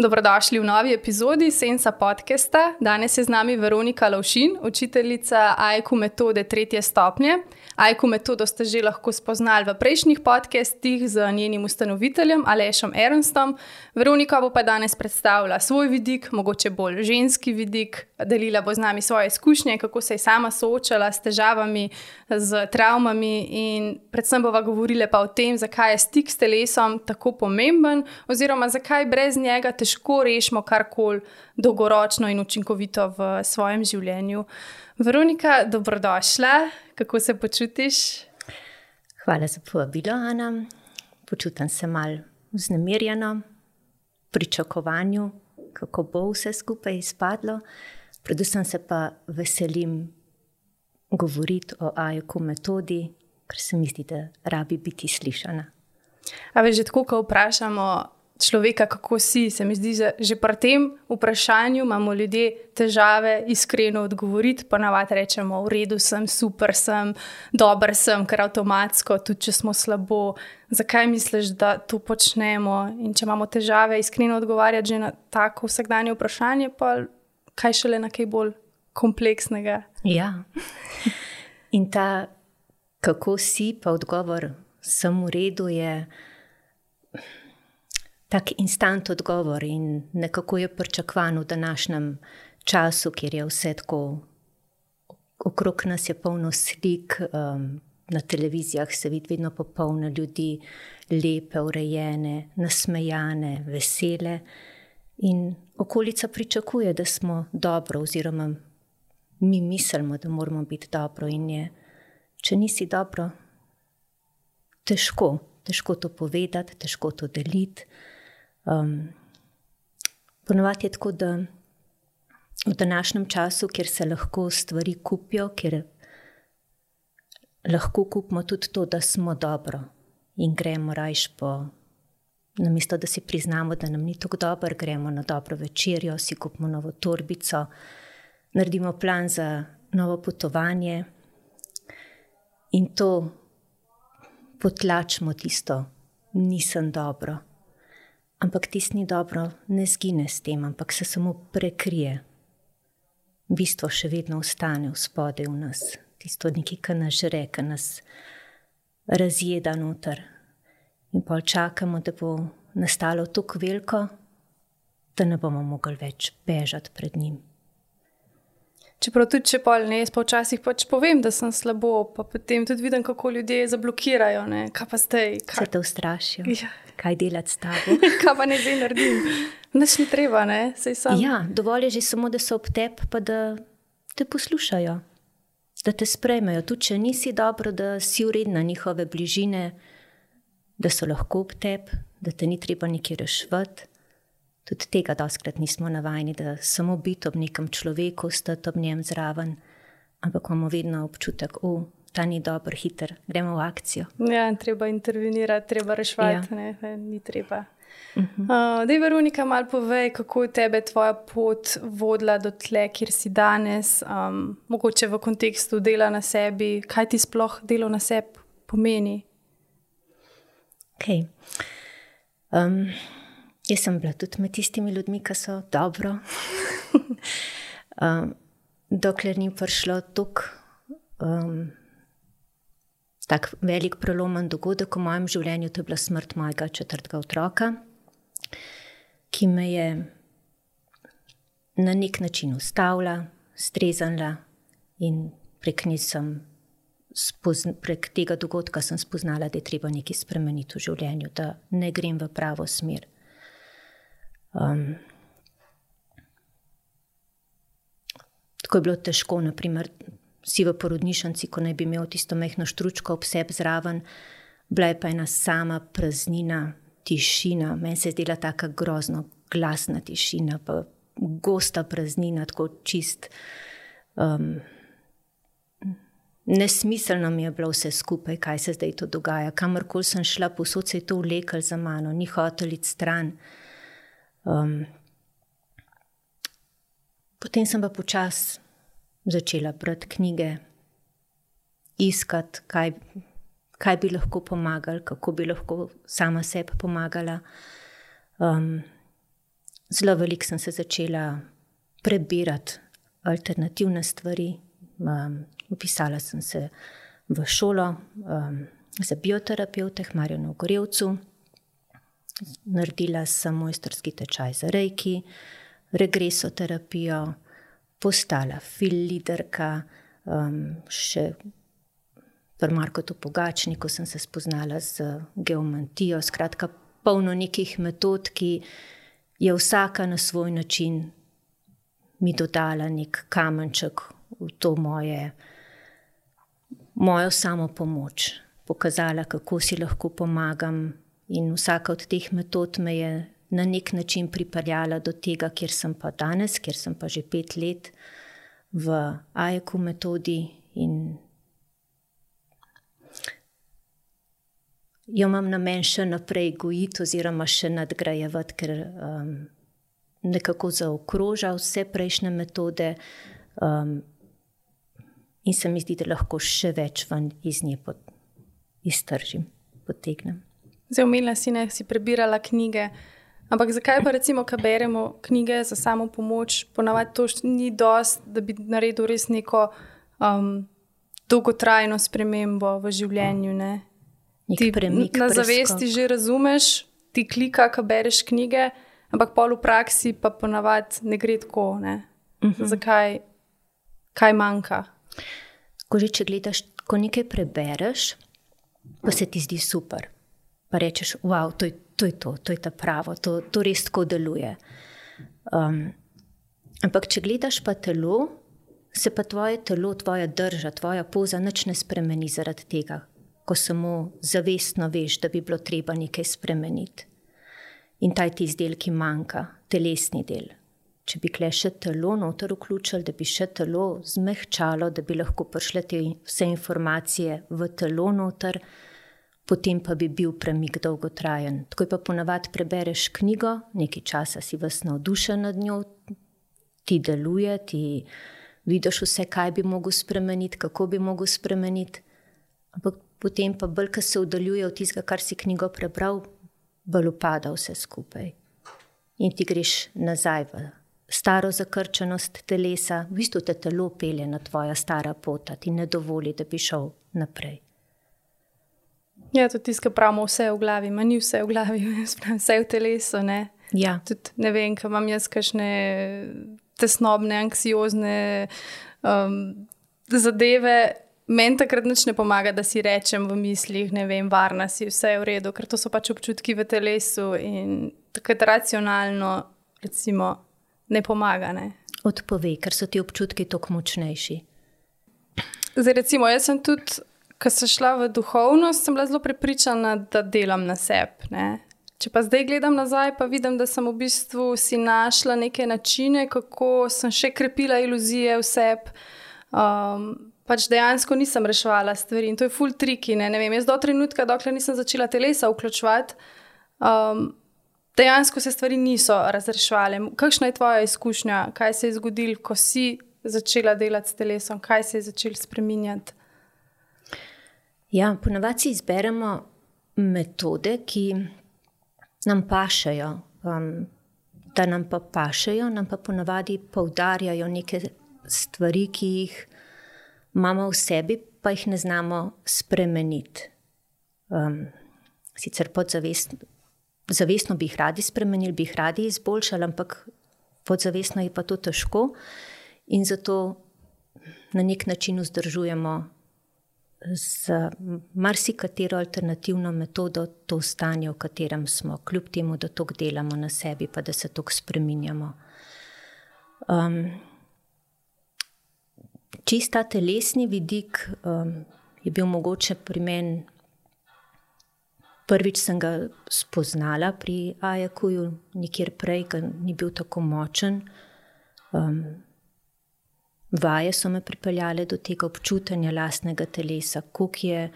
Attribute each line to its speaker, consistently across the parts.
Speaker 1: Dobrodošli v novi epizodi Sensa podcasta. Danes je z nami Veronika Lovšin, učiteljica AIQ metode 3. stopnje. AIQ metodo ste že lahko spoznali v prejšnjih podcastih z njenim ustanoviteljem Alešem Ernstom. Veronika bo pa danes predstavila svoj vidik, mogoče bolj ženski vidik. Delila bo z nami svoje izkušnje, kako se je sama soočala s težavami, z travmami in predvsem bova govorila pa o tem, zakaj je stik s telesom tako pomemben oziroma zakaj brez njega težko rešimo karkoli dolgoročno in učinkovito v svojem življenju. Veronika, dobrodošla. Kako se počutiš?
Speaker 2: Hvala za povabilo, Ana. Počutam se malo vznemirjeno, pričakovanju, kako bo vse skupaj izpadlo. Predvsem se pa veselim govoriti o AIQ metodi, ker se mi zdi, da rabi biti slišana.
Speaker 1: A veš, že tako, ko vprašamo človeka, kako si, se mi zdi, že pri tem vprašanju imamo ljudje težave iskreno odgovoriti. Ponavadi rečemo, v redu sem, super sem, dober sem, ker avtomatsko, tudi če smo slabo. Zakaj misliš, da to počnemo? In če imamo težave iskreno odgovarjati že na tako vsakdanje vprašanje, pa kaj šele na kaj bolj kompleksnega?
Speaker 2: Ja. In ta, kako si, pa odgovor sem v redu, je tak instant odgovor in nekako je pričakovan v današnjem času, kjer je vse tako, okrog nas je polno slik, na televizijah se vidi vedno popolno ljudi, lepe, urejene, nasmejane, vesele in okolica pričakuje, da smo dobro oziroma mi mislimo, da moramo biti dobro in je, če nisi dobro, težko to povedati, težko to deliti. Ponovadi je tako, da v današnjem času, kjer se lahko stvari kupijo, kjer lahko kupimo tudi to, da smo dobro in gremo rajš po, namesto da si priznamo, da nam ni tako dobro, gremo na dobro večerjo, si kupimo novo torbico, naredimo plan za novo potovanje in to potlačimo tisto, nisem dobro. Ampak tisto ni dobro, ne zgine s tem, ampak se samo prekrije. Bistvo še vedno ostane v spodaj v nas. Tisto nekaj, ki nas žre, ki nas razjeda noter. In pol čakamo, da bo nastalo tako veliko, da ne bomo mogli več bežati pred njim.
Speaker 1: Čeprav tudi, če pol ne, jaz pa včasih pač povem, da sem slabo, pa potem tudi vidim, kako ljudje zablokirajo, ne, kaj pa zdaj.
Speaker 2: Se te ustrašijo,
Speaker 1: Ja.
Speaker 2: kaj delati s tabo.
Speaker 1: Kaj pa ne zdaj naredim? Nič ni treba, ne, saj sam.
Speaker 2: Ja, dovolj je že samo, da so ob tebi, pa da te poslušajo, da te sprejmejo. Tudi, če nisi dobro, da si vredna njihove bližine, da so lahko ob tebi, da te ni treba nekje reševati. Tudi tega dostikrat nismo navajeni, da samo biti ob nekem človeku, stati ob njem zraven, ampak imamo vedno občutek, ta ni dober, hiter, gremo v akcijo.
Speaker 1: Ja, treba intervenirati, treba reševati, ja. Ne, ni treba. Daj, Veronika, malo povej, kako je tebe tvoja pot vodila do tle, kjer si danes, mogoče v kontekstu dela na sebi, kaj ti sploh delo na sebi pomeni?
Speaker 2: Okay. Jaz sem bila tudi med tistimi ljudmi, ki so dobro. Dokler ni prišlo tak velik prelomen dogodek v mojem življenju, to je bila smrt mojega 4. otroka, ki me je na nek način ustavila, streznila in prek tega dogodka sem spoznala, da je treba nekaj spremeniti v življenju, da ne grem v pravo smer. Tako je bilo težko, naprimer, si v porodnišnici, ko naj bi imel tisto majhno štručko ob sebi zraven, bila je pa ena sama praznina, tišina, meni se je zdela taka grozno glasna tišina, pa gosta praznina, tako čist. Nesmiselno mi je bilo vse skupaj, kaj se zdaj to dogaja. Kamorkoli sem šla, povsod se je to vleklo za mano, ni hotel iti stran. Potem sem pa počasi začela brati knjige, iskati, kaj bi lahko pomagali, kako bi lahko sama sebi pomagala. zelo veliko sem se začela prebirati alternativne stvari. Upisala sem se v šolo za bioterapevte v Marjanu Gorevcu. Naredila sem mojstrski tečaj za reiki, regresoterapijo, postala fil-liderka, še pri Markotu Pogačniku sem se spoznala z geomantijo. Skratka, polno nekih metod, ki je vsaka na svoj način mi dodala nek kamenček v to mojo samopomoč. Pokazala, kako si lahko pomagam, in vsaka od teh metod me je na nek način pripeljala do tega, kjer sem pa danes, kjer sem pa že 5 let v AEQ metodi, in jo imam namen še naprej gojiti oziroma še nadgrajevati, ker nekako zaokroža vse prejšnje metode, in se mi zdi, da lahko še več ven iz nje iztržim, potegnem.
Speaker 1: Zdaj, omenila si, ne, si prebirala knjige, ampak zakaj pa recimo, ko beremo knjige za samo pomoč, ponavadi to ni dost, da bi naredil res neko dolgotrajno spremembo v življenju, ne? Ti na zavesti že razumeš, ti klika, ko bereš knjige, ampak pol v praksi pa ponavadi ne gre tako, ne? Zakaj? Kaj manjka?
Speaker 2: Ko že če gledaš, ko nekaj prebereš, pa se ti zdi super, pa rečeš, wow, to je ta pravo, to res tako deluje. Ampak če gledaš pa telo, se pa tvoje telo, tvoja drža, tvoja poza nič ne spremeni zaradi tega, ko samo zavestno veš, da bi bilo treba nekaj spremeniti. In taj ti izdelek, ki manjka, telesni del. Če bi kle še telo noter vključili, da bi še telo zmehčalo, da bi lahko prišle te vse informacije v telo noter, potem pa bi bil premik dolgotrajen. Tako pa ponavadi prebereš knjigo, nekaj časa si vas navdušen nad njo, ti deluje, ti vidiš vse, kaj bi mogel spremeniti, kako bi mogel spremeniti, ampak potem pa bolj, ko se oddaljuje od tistega, kar si knjigo prebral, bolj upada vse skupaj. In ti greš nazaj v staro zakrčenost telesa, v bistvu te telo pelje na tvoja stara pota, ti ne dovoli, da bi šel naprej.
Speaker 1: Ja, tudi tisto, kar pravimo, vse v glavi, ma ni vse v glavi, vse v telesu, ne?
Speaker 2: Ja.
Speaker 1: Tudi ne vem, kaj imam jaz kakšne tesnobne, anksiozne zadeve, meni takrat nič ne pomaga, da si rečem v mislih, ne vem, varna si, vse je v redu, ker to so pač občutki v telesu in takrat racionalno, recimo, ne pomaga, ne?
Speaker 2: Odpove, ker so ti občutki toliko močnejši.
Speaker 1: Zdaj, recimo, jaz sem tudi, ko sem šla v duhovnost, sem bila zelo prepričana, da delam na sebi, ne? Če pa zdaj gledam nazaj, pa vidim, da sem v bistvu si našla neke načine, kako sem še krepila iluzije v sebi. Pač dejansko nisem reševala stvari in to je ful triki, ne vem, jaz do trenutka, dokler nisem začela telesa vključevati, dejansko se stvari niso razreševale. Kakšna je tvoja izkušnja? Kaj se je zgodilo, ko si začela delati s telesom? Kaj se je začelo spreminjati?
Speaker 2: Ja, ponavadi si izberemo metode, ki nam pašejo. Da nam pa pašejo, nam pa ponavadi poudarjajo neke stvari, ki jih imamo v sebi, pa jih ne znamo spremeniti. Sicer zavestno bi jih radi spremenili, bi jih radi izboljšali, ampak podzavestno je pa to težko in zato na nek način vzdržujemo z marsikatero alternativno metodo to stanje, v katerem smo, kljub temu, da toliko delamo na sebi, pa da se toliko spreminjamo. Čista telesni vidik je bil mogoče pri meni, prvič sem ga spoznala pri AEQ-ju, nikjer prej, ga ni bil tako močen. Vaje so me pripeljale do tega občutenja lastnega telesa, koliko je,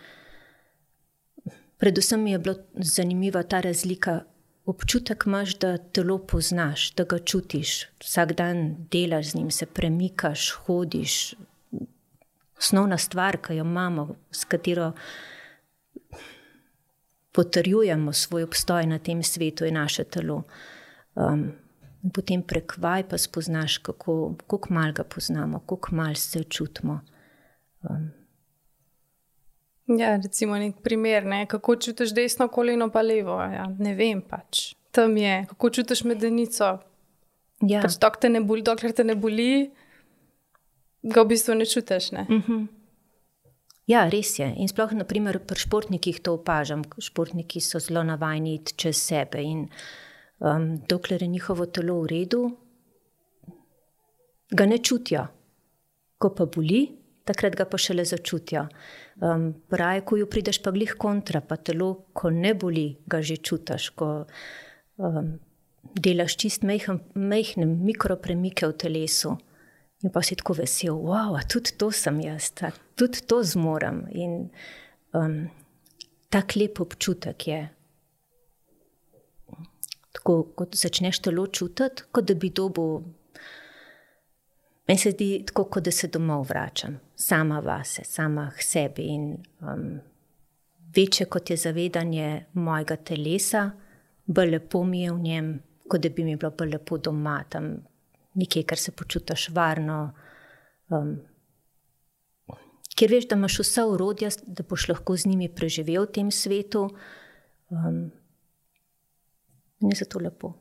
Speaker 2: predvsem mi je bilo zanimiva ta razlika, občutek imaš, da telo poznaš, da ga čutiš, vsak dan delaš z njim, se premikaš, hodiš. Osnovna stvar, ki jo imamo, s katero potrjujemo svoj obstoj na tem svetu, je naše telo. In potem prek vaj pa spoznaš, kako malo ga poznamo, kako malo se čutimo.
Speaker 1: Ja, recimo nek primer, ne? Kako čutiš desno koleno pa levo? Ja, ne vem pač. Tam je. Kako čutiš medenico?
Speaker 2: Ja.
Speaker 1: Pač dokler te ne boli, ga v bistvu ne čutiš, ne?
Speaker 2: Ja, res je. In sploh, naprimer, pri športnikih to opažam. Športniki so zelo navajeni iti čez sebe in dokler je njihovo telo v redu, ga ne čutijo. Ko pa boli, takrat ga pa šele začutijo. Pravi, ko jo prideš pa glih kontra, pa telo, ko ne boli, ga že čutiš, ko delaš čist majhne mikropremike v telesu. In pa si tako vesel, wow, tudi to sem jaz, tudi to zmorem. In tak lep občutek je. Tako, kot začneš telo čutiti, kot da bi dobil. Meni se zdi tako, kot da se domov vračam, sama vase, sama k sebi. In večje, kot je zavedanje mojega telesa, bolj lepo mi je v njem, kot da bi mi bilo bolj lepo doma, tam nekaj, kar se počutiš varno, kjer veš, da imaš vsa orodja, da boš lahko z njimi preživel v tem svetu. In je zato lepo.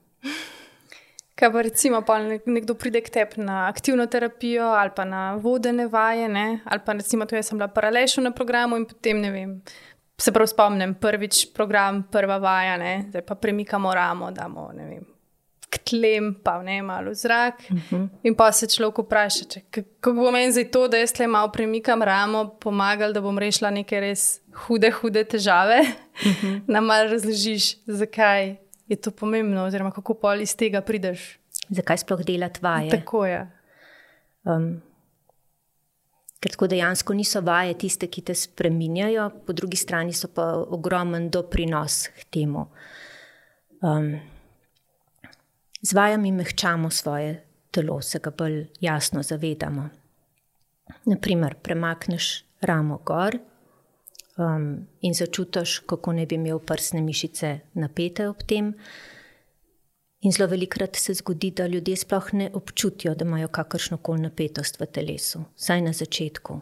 Speaker 1: Kaj pa recimo, pa nekdo pride k tebi na aktivno terapijo ali pa na vodene vaje, ne? Ali pa recimo, to jaz sem bila paralelno na programu in potem, ne vem, se prav spomnim, prvič program, prva vaja, ne? Zdaj pa premikamo ramo, damo, ne vem, k tlem, pa ne, malo v zrak. In pa se človek vpraša, kako bo meni zdaj to, da jaz tle malo premikam ramo, pomagal, da bom rešila neke res hude težave. Nam malo razložiš, zakaj je to pomembno, oziroma kako pol iz tega prideš.
Speaker 2: Zakaj sploh delati vaje?
Speaker 1: Tako je.
Speaker 2: Ker tako dejansko niso vaje tiste, ki te spreminjajo, po drugi strani so pa ogromen doprinos k temu. Z vajami mehčamo svoje telo, se ga bolj jasno zavedamo. Naprimer, premakneš ramo gor in začutiš, kako ne bi imel prsne mišice napete ob tem. In zelo velikokrat se zgodi, da ljudje sploh ne občutijo, da imajo kakršnokoli napetost v telesu, vsaj na začetku.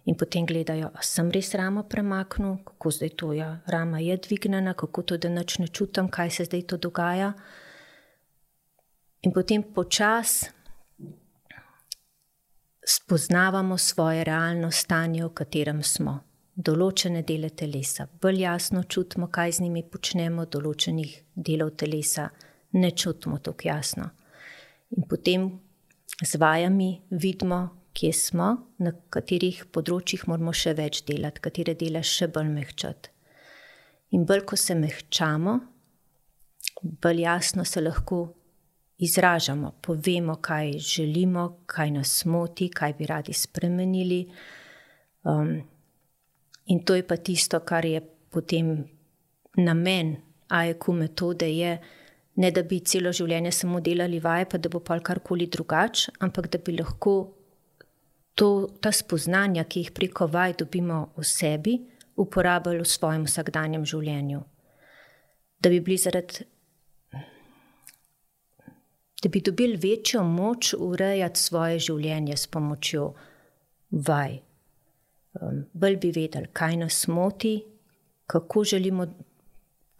Speaker 2: In potem gledajo, a sem res ramo premaknil, kako zdaj to je, rama je dvignjena, kako to, da nič ne čutim, kaj se zdaj to dogaja. In potem počasi spoznavamo svoje realno stanje, v katerem smo. Določene dele telesa bolj jasno čutimo, kaj z njimi počnemo, določenih delov telesa ne čutimo tako jasno. In potem z vajami vidimo, kje smo, na katerih področjih moramo še več delati, katere dele še bolj mehčati. In bolj, ko se mehčamo, bolj jasno se lahko izražamo, povemo, kaj želimo, kaj nas moti, kaj bi radi spremenili. In to je pa tisto, kar je potem namen AEQ metode, je ne da bi celo življenje samo delali vaje, pa da bo pa karkoli drugače, ampak da bi lahko ta spoznanja, ki jih preko vaj dobimo v sebi, uporabljali v svojem vsakdanjem življenju. Da bi dobili večjo moč urejati svoje življenje s pomočjo vaj. Bolj bi vedeli, kaj nas moti, kako želimo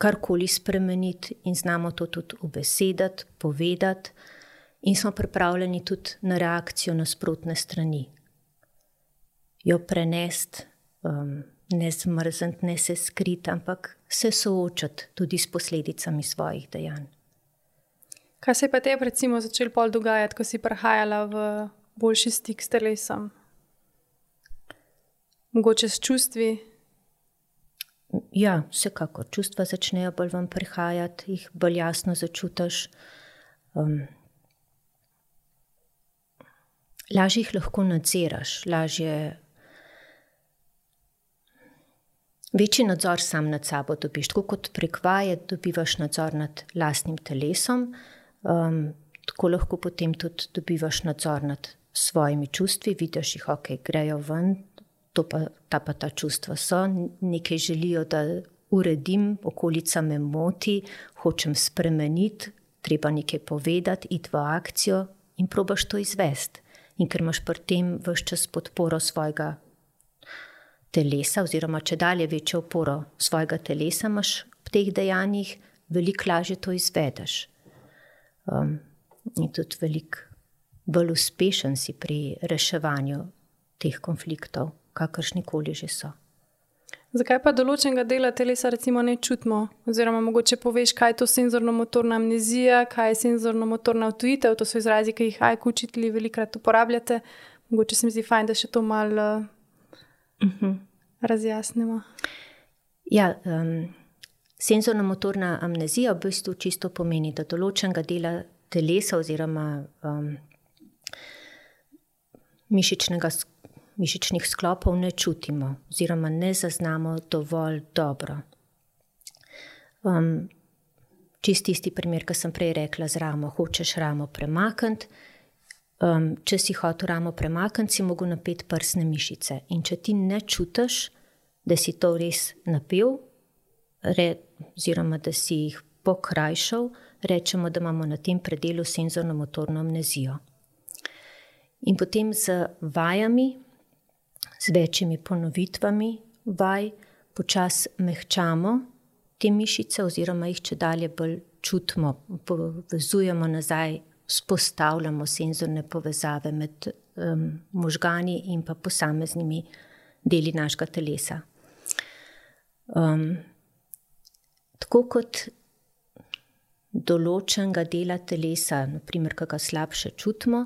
Speaker 2: karkoli spremeniti in znamo to tudi ubesediti, povedati in smo pripravljeni tudi na reakcijo nasprotne strani. Jo prenesti, ne zmrzniti, ne se skriti, ampak se soočati tudi s posledicami svojih dejanj.
Speaker 1: Kaj se je pa tebi recimo začelo pol dogajati, ko si prehajala v boljši stik s telesom? Mogoče s čustvi?
Speaker 2: Ja, vsekakor. Čustva začnejo bolj vam prihajati, jih bolj jasno začutiš. Lažje jih lahko nadziraš, večji nadzor sam nad sabo dobiš. Tako kot prek vaje dobivaš nadzor nad lastnim telesom, tako lahko potem tudi dobivaš nadzor nad svojimi čustvi, vidiš jih, ok, grejo ven, ta čustva so, nekaj želijo, da uredim, okolica me moti, hočem spremeniti, treba nekaj povedati, iti v akcijo in probaš to izvesti. In ker imaš pri tem ves čas podporo svojega telesa, oziroma če dalje večjo oporo svojega telesa imaš v teh dejanjih, veliko lažje to izvedeš. In tudi veliko bolj uspešen si pri reševanju teh konfliktov, kakršnikoli že so.
Speaker 1: Zakaj pa določenega dela telesa recimo ne čutimo? Oziroma mogoče poveš, kaj je to senzorno-motorna amnezija, kaj je senzorno-motorna odtujitev, to so izrazi, ki jih AIK učitelji velikokrat uporabljate. Mogoče se mi zdi fajn, da še to malo razjasnimo.
Speaker 2: Ja, senzorno-motorna amnezija v bistvu čisto pomeni, da določenega dela telesa oziroma mišičnih sklopov ne čutimo oziroma ne zaznamo dovolj dobro. Čisto isti primer, ki sem prej rekla z ramo. Hočeš ramo premakniti, če si hotel ramo premakniti, si mogel napeti prsne mišice. In če ti ne čutiš, da si to res napel, oziroma da si jih pokrajšal, rečemo, da imamo na tem predelu senzorno-motorno amnezijo. In potem z vajami, z večjimi ponovitvami vaj, počasi mehčamo te mišice oziroma jih čedalje bolj čutimo, povezujemo nazaj, vzpostavljamo senzorne povezave med možgani in pa posameznimi deli našega telesa. Tako kot določenega dela telesa, naprimer, ki ga slabše čutimo,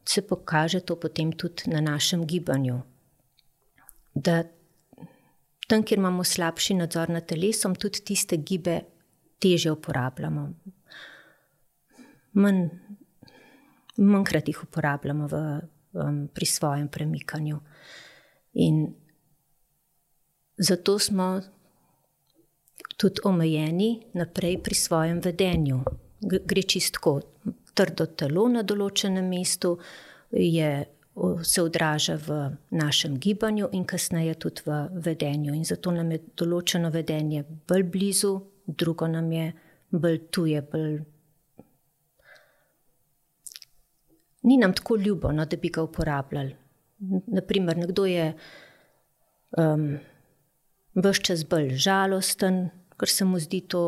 Speaker 2: se pokaže to potem tudi na našem gibanju. Da tam, kjer imamo slabši nadzor nad telesom, tudi tiste gibe težje uporabljamo. Manjkrat jih uporabljamo pri svojem premikanju. In zato smo tudi omejeni naprej pri svojem vedenju. Gre čistko. Trdo telo na določenem mestu se odraža v našem gibanju in kasneje tudi v vedenju. In zato nam je določeno vedenje bolj blizu, drugo nam je bolj tuje, ni nam tako ljubo, no, da bi ga uporabljali. Naprimer, nekdo je ves čas bolj žalosten, ker se mu zdi to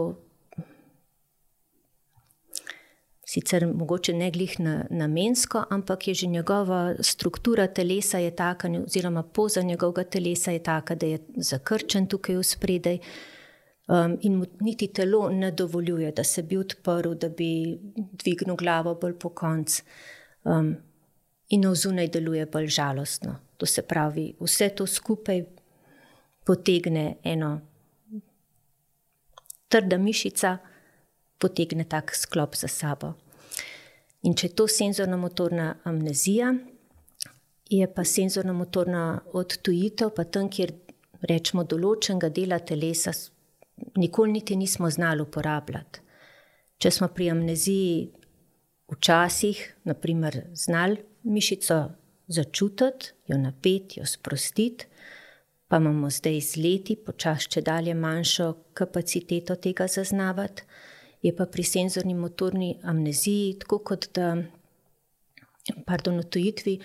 Speaker 2: sicer mogoče ne glih namensko, ampak je že njegova struktura telesa je taka, oziroma poza njegovega telesa je taka, da je zakrčen tukaj vspredaj in mu niti telo ne dovoljuje, da se bi odprl, da bi dvignil glavo bolj po konc. In navzunaj deluje bolj žalostno. To se pravi, vse to skupaj potegne eno trda mišica, potegne tak sklop za sabo. In če je to senzorno-motorna amnezija, je pa senzorno-motorna odtujitev, pa tam, kjer rečemo določenega dela telesa, nikoli niti nismo znali uporabljati. Če smo pri amneziji včasih, naprimer, znali mišico začutiti, jo napeti, jo sprostiti, pa imamo zdaj z leti počasi čedalje manjšo kapaciteto tega zaznavati, je pa pri senzorni motorni amneziji, tako kot da, odtujitvi,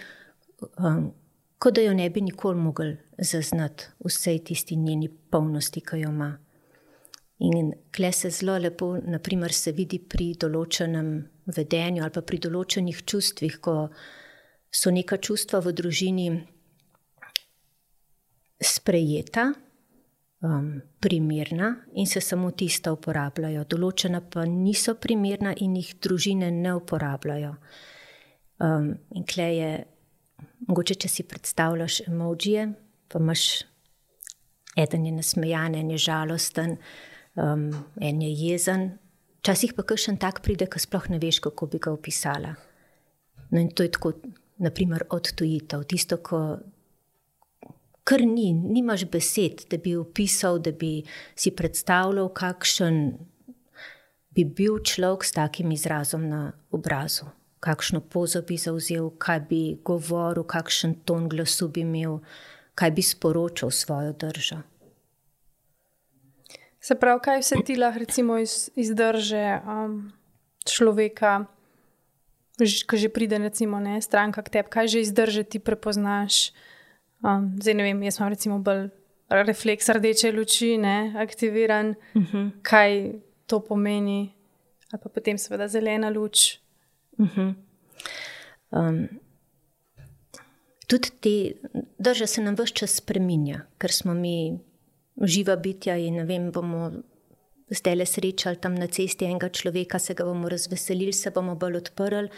Speaker 2: kot da jo ne bi nikoli mogli zaznati vsej tisti njeni polnosti, ki jo ima. In kle se zelo lepo, naprimer, se vidi pri določenem vedenju ali pa pri določenih čustvih, ko so neka čustva v družini sprejeta, primerna in se samo tista uporabljajo. Določena pa niso primerna in jih družine ne uporabljajo. In kle je, mogoče, če si predstavljaš emojije, pa imaš, eden je nasmejan, en je žalosten, en je jezen. Včasih pa kakšen tak pride, ki sploh ne veš, kako bi ga opisala. No in to je tako, naprimer, odtujitev. Tisto, ko kar nimaš besed, da bi opisal, da bi si predstavljal, kakšen bi bil človek s takim izrazom na obrazu. Kakšno pozo bi zavzel, kaj bi govoril, kakšen ton glasu bi imel, kaj bi sporočal svojo držo.
Speaker 1: Se pravi, kaj vse ti lahko recimo izdrže človeka, ko že pride recimo stranka k tebi, kaj že izdrži, ti prepoznaš. Zdaj ne vem, jaz imam recimo bolj refleks rdeče luči, aktiviran, kaj to pomeni, ali pa potem seveda zelena luč.
Speaker 2: Tudi te drža se nam ves čas spreminja, ker smo mi živa bitja in ne vem, bomo zdajle srečali tam na cesti enega človeka, se ga bomo razveselili, se bomo bolj odprli,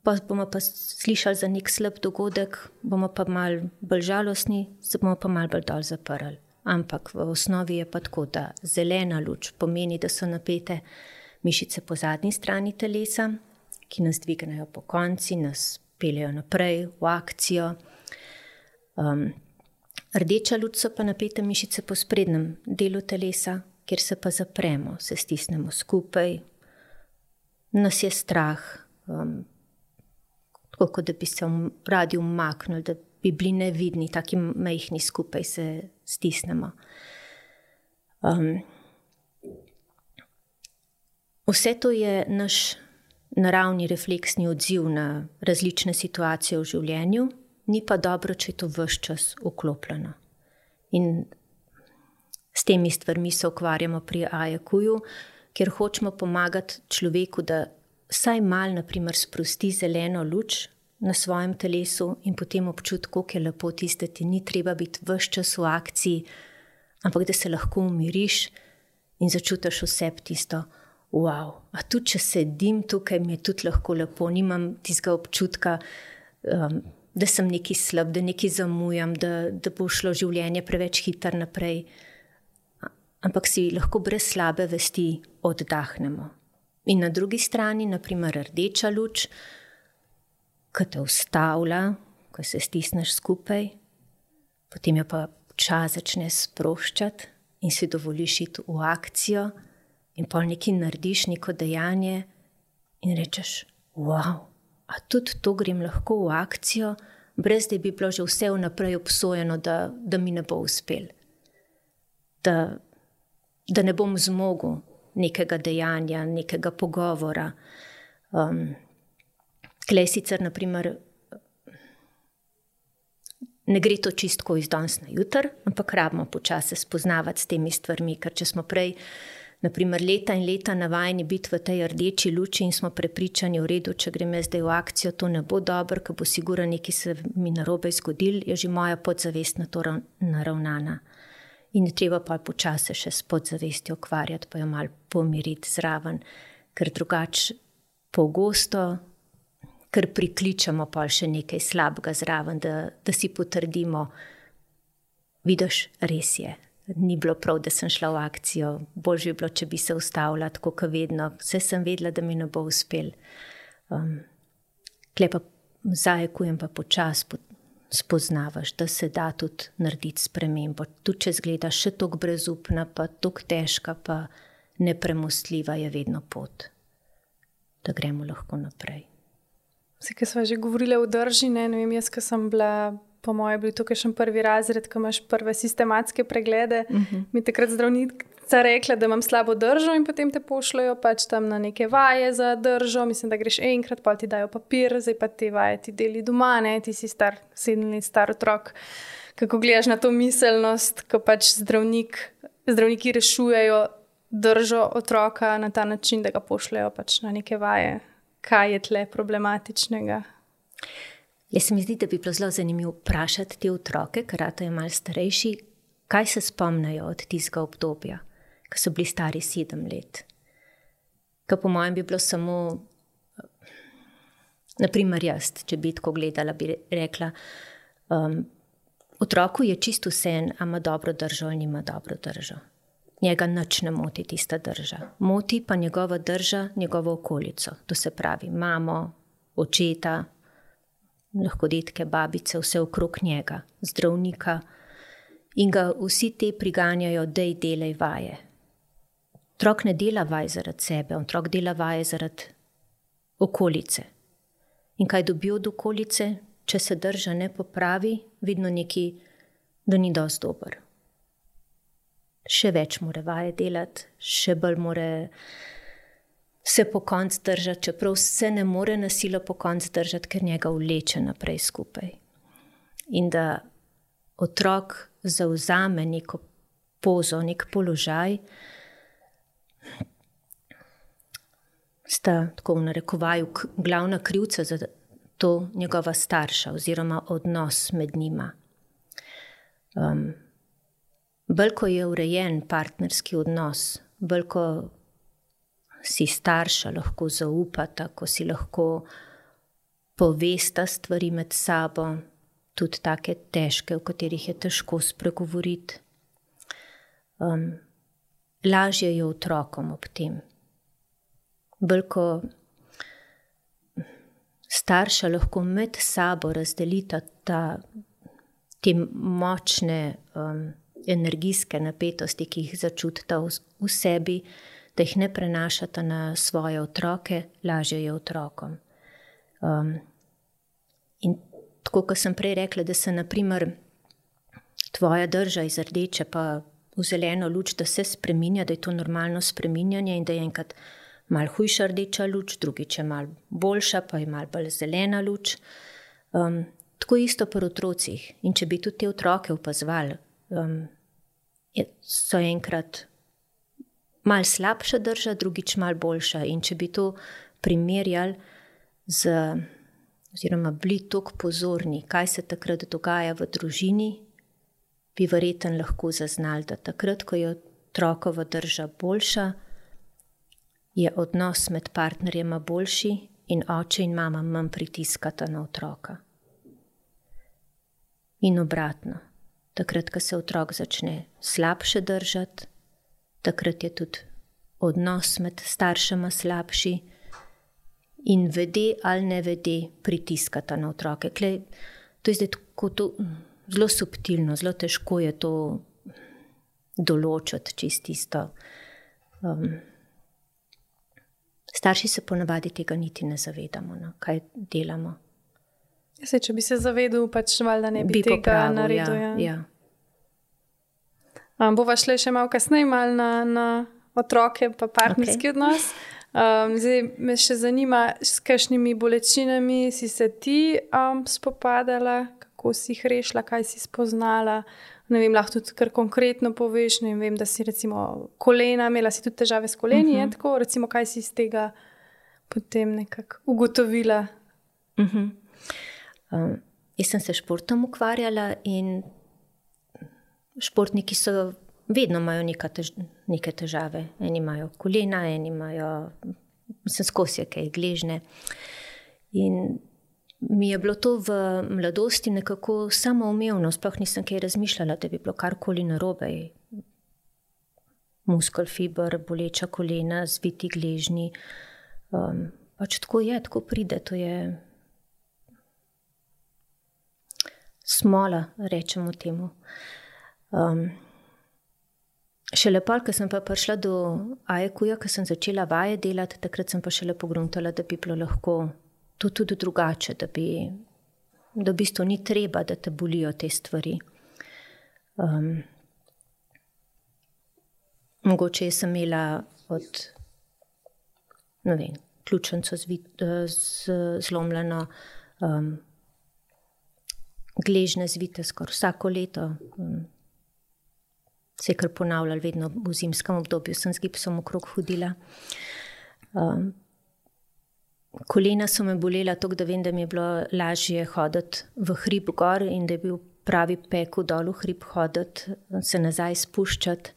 Speaker 2: pa bomo pa slišali za nek slab dogodek, bomo pa malo bolj žalostni, se bomo pa malo bolj dol zaprli. Ampak v osnovi je pa tako, da zelena luč pomeni, da so napete mišice po zadnji strani telesa, ki nas dvignejo po konci, nas peljejo naprej v akcijo. Rdeča luč so pa napete mišice po sprednjem delu telesa, kjer se pa zapremo, se stisnemo skupaj, nas je strah, tako kot da bi se radi umaknili, da bi bili nevidni, taki majhni skupaj se stisnemo. Vse to je naš naravni refleksni odziv na različne situacije v življenju, ni pa dobro, če je to ves čas vklopljeno. In s temi stvarmi se ukvarjamo pri AEQ-ju, kjer hočemo pomagati človeku, da vsaj malo, na primer, sprosti zeleno luč na svojem telesu in potem občuti, koliko je lepo tisto, da ti ni treba biti ves čas v akciji, ampak da se lahko umiriš in začutiš v sebi tisto, wow, a tudi če sedim tukaj, mi je tudi lahko lepo, nimam tistega občutka, da sem nekaj slab, da nekaj zamujam, da bo šlo življenje preveč hitro naprej. Ampak si lahko brez slabe vesti oddahnemo. In na drugi strani, na primer, rdeča luč, ko te ustavlja, ko se stisneš skupaj, potem jo pa čas začne sproščati in si dovoliš iti v akcijo in pol nekaj narediš, neko dejanje in rečeš, wow, a tudi to grem lahko v akcijo, brez da bi bilo že vse vnaprej obsojeno, da mi ne bo uspel. Da ne bom zmogel nekega dejanja, nekega pogovora. Tlej sicer, na primer, ne gre to čistko iz danes na jutr, ampak rabimo počasi spoznavati s temi stvarmi, ker če smo prej, na primer, leta in leta navajeni biti v tej rdeči luči in smo prepričani, v redu, če grem jaz zdaj v akcijo, to ne bo dobro, ker bo sigurno nekaj se mi narobe zgodil, je že moja podzavest na to naravnana. In je treba pa počasi še s podzavestjo ukvarjati, pa jo malo pomiriti zraven, ker drugače pogosto, ker prikličemo pa še nekaj slabega zraven, da si potrdimo, vidiš, res je, ni bilo prav, da sem šla v akcijo, bolj bi bilo, če bi se ustavila, tako kot vedno, vse sem vedela, da mi ne bo uspel. Tle pa zajekujem pa počasi spoznavaš, da se da tudi narediti spremembo. Tudi če zgledaš še toliko brezupna, pa toliko težka, pa nepremostljiva je vedno pot, da gremo lahko naprej.
Speaker 1: Vse, ki smo že govorili o drži, ne vem, jaz, ko sem bila, po moje, bil tukaj še prvi razred, ko imaš prve sistematske preglede, mi takrat zdravnica rekla, da imam slabo držo in potem te pošljajo pač tam na neke vaje za držo, mislim, da greš enkrat, pa ti dajo papir, zdaj pa te vaje ti deli doma, ti si 7 let star otrok. Kako gledaš na to miselnost, ko pač zdravniki rešujejo držo otroka na ta način, da ga pošljajo pač na neke vaje. Kaj je tle problematičnega?
Speaker 2: Jaz se mi zdi, da bi bilo zelo zanimivo vprašati te otroke, ker rato je malo starejši, kaj se spomnijo od tistega obdobja, ko so bili stari 7 let. Ker po mojem bi bilo samo, naprimer jaz, če bi tako gledala, bi rekla, otroku je čisto vseeno, a ima dobro držo ali nima dobro držo. Njega nič ne moti tista drža. Moti pa njegova drža, njegovo okolico. To se pravi mamo, očeta, lahko detke, babice, vse okrog njega, zdravnika. In ga vsi te priganjajo, dej delaj vaje. Otrok ne dela vaj zaradi sebe, otrok dela vaje zaradi okolice. In kaj dobi od okolice, če se drža ne popravi, vidno nekaj, da ni dosti dober. Še več mora vaje delati, še bolj mora se po koncu držati, čeprav se ne more na silo po koncu držati, ker njega vleče naprej skupaj. In da otrok zavzame neko pozo, nek položaj, sta tako v narekovaju glavna krivca za to njegova starša oziroma odnos med njima. Bolj ko je urejen partnerski odnos, bolj ko si starša lahko zaupata, ko si lahko povesta stvari med sabo, tudi take težke, v katerih je težko spregovoriti. Lažje je otrokom ob tem. Bolj ko starša lahko med sabo razdelita te močne energijske napetosti, ki jih začutita v sebi, da jih ne prenašata na svoje otroke, lažje je otrokom. In tako, kot sem prej rekla, da se naprimer tvoja drža iz rdeče pa v zeleno luč, da se spreminja, da je to normalno spreminjanje in da je enkrat malo hujša rdeča luč, drugič je malo boljša, pa je malo bolj zelena luč. Tako isto pri otrocih. In če bi tudi te otroke opazovali, so enkrat malo slabša drža, drugič malo boljša. In če bi to primerjali oziroma bili toliko pozorni, kaj se takrat dogaja v družini, bi verjetno lahko zaznali, da takrat, ko je otrokova drža boljša, je odnos med partnerjema boljši in oče in mama manj pritiskata na otroka. In obratno, takrat, ko se otrok začne slabše držati, takrat je tudi odnos med staršema slabši in vede ali ne vede pritiskata na otroke. To je zdaj tako zelo subtilno, zelo težko je to določiti čisto. Starši se ponavadi tega niti ne zavedamo, kaj delamo.
Speaker 1: Če bi se zavedal, pač valjda ne bi tega naredil.
Speaker 2: Ja.
Speaker 1: Bova šle še malo kasneje na otroke pa partnerski odnos. Zdaj me še zanima, s kakšnimi bolečinami si se ti spopadala, kako si jih rešila, kaj si spoznala. Ne vem, lahko tudi kar konkretno poveš. Ne vem, da si recimo kolena, imela si tudi težave s koleni, tako, recimo, kaj si iz tega potem nekako ugotovila?
Speaker 2: Jaz sem se športom ukvarjala in športniki vedno imajo neke težave. Eni imajo kolena, eni imajo, skozi kaj gležne. In mi je bilo to v mladosti nekako samoumevno, sploh nisem kaj razmišljala, da bi bilo karkoli narobe. Muskelfiber, boleča kolena, zviti gležni. Pač tako je, tako pride, to je smola, rečemo temu. Šele pol, ko sem pa prišla do AEQ-ja, ko sem začela vaje delati, takrat sem pa šele pogruntala, da bi bilo lahko to tudi drugače, da v bistvu ni treba, da te bolijo te stvari. Mogoče sem imela od, ne vem, ključnico zlomljeno, gležne zvite skoraj vsako leto. Se je kar ponavljalo, vedno v zimskem obdobju sem z gipsom okrog hodila. Kolena so me bolela toliko, da vem, da mi je bilo lažje hoditi v hrib gor in da je bil pravi pekel dol v hrib hoditi, se nazaj spuščati.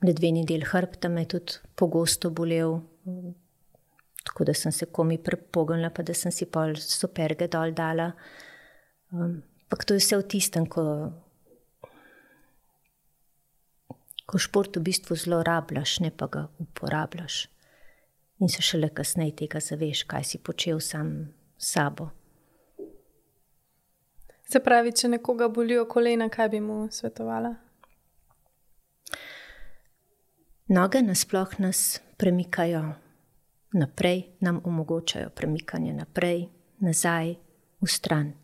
Speaker 2: Ledveni del hrbta me je tudi pogosto bolel, tako da sem se komi prepognila, pa da sem si pol superge dol dala. Ampak to je vse v tistem, ko šport v bistvu zlorabljaš, ne pa ga uporabljaš. In se šele kasneje tega zaveš, kaj si počel sam s sabo.
Speaker 1: Se pravi, če nekoga bolijo kolena, kaj bi mu svetovala?
Speaker 2: Noge nasploh nas premikajo naprej, nam omogočajo premikanje naprej, nazaj, v stran.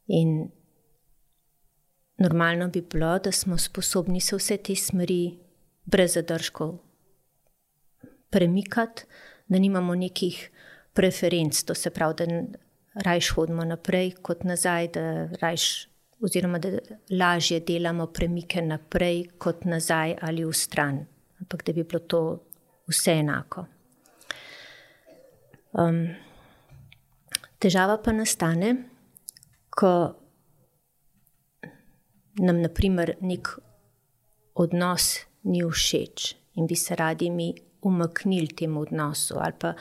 Speaker 2: In normalno bi bilo, da smo sposobni se vse te smeri brez zadržkov premikati, da nimamo nekih preferenc, to se pravi, da rajš hodimo naprej kot nazaj, da lažje delamo premike naprej kot nazaj ali v stran, ampak da bi bilo to vse enako. Težava pa nastane, ko nam na primer nek odnos ni všeč in bi se radi mi umaknili temu odnosu, ali pa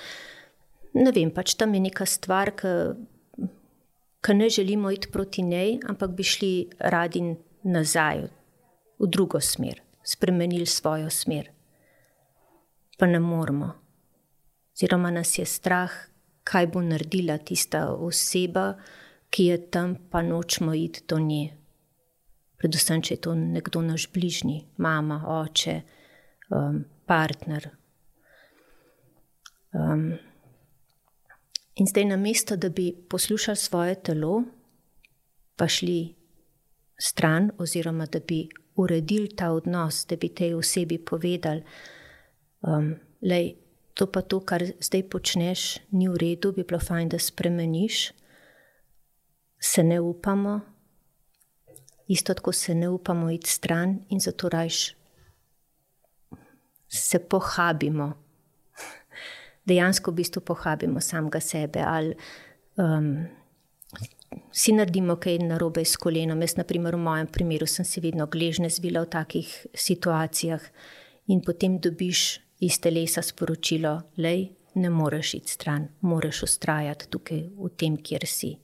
Speaker 2: ne vem, pač tam je neka stvar, ki ne želimo iti proti njej, ampak bi šli radi nazaj v drugo smer, spremenili svojo smer. Pa ne moremo. Oziroma nas je strah, kaj bo naredila tista oseba, ki je tam, pa nočemo iti do nje. Predvsem, če je to nekdo naš bližnji, mama, oče, partner. In zdaj namesto, da bi poslušali svoje telo, pa šli stran, oziroma da bi uredili ta odnos, da bi tej osebi povedali, lej, to pa to, kar zdaj počneš, ni v redu, bi bilo fajn, da spremeniš, se ne upamo, isto tako se ne upamo iti stran in zato rajš se pohabimo. Dejansko v bistvu pohabimo samega sebe ali si naredimo kaj narobe s kolenom. Jaz, na primer, v mojem primeru sem si vedno gležnje zvila v takih situacijah in potem dobiš iz telesa sporočilo, lej, ne moreš iti stran, moraš vztrajati tukaj v tem, kjer si.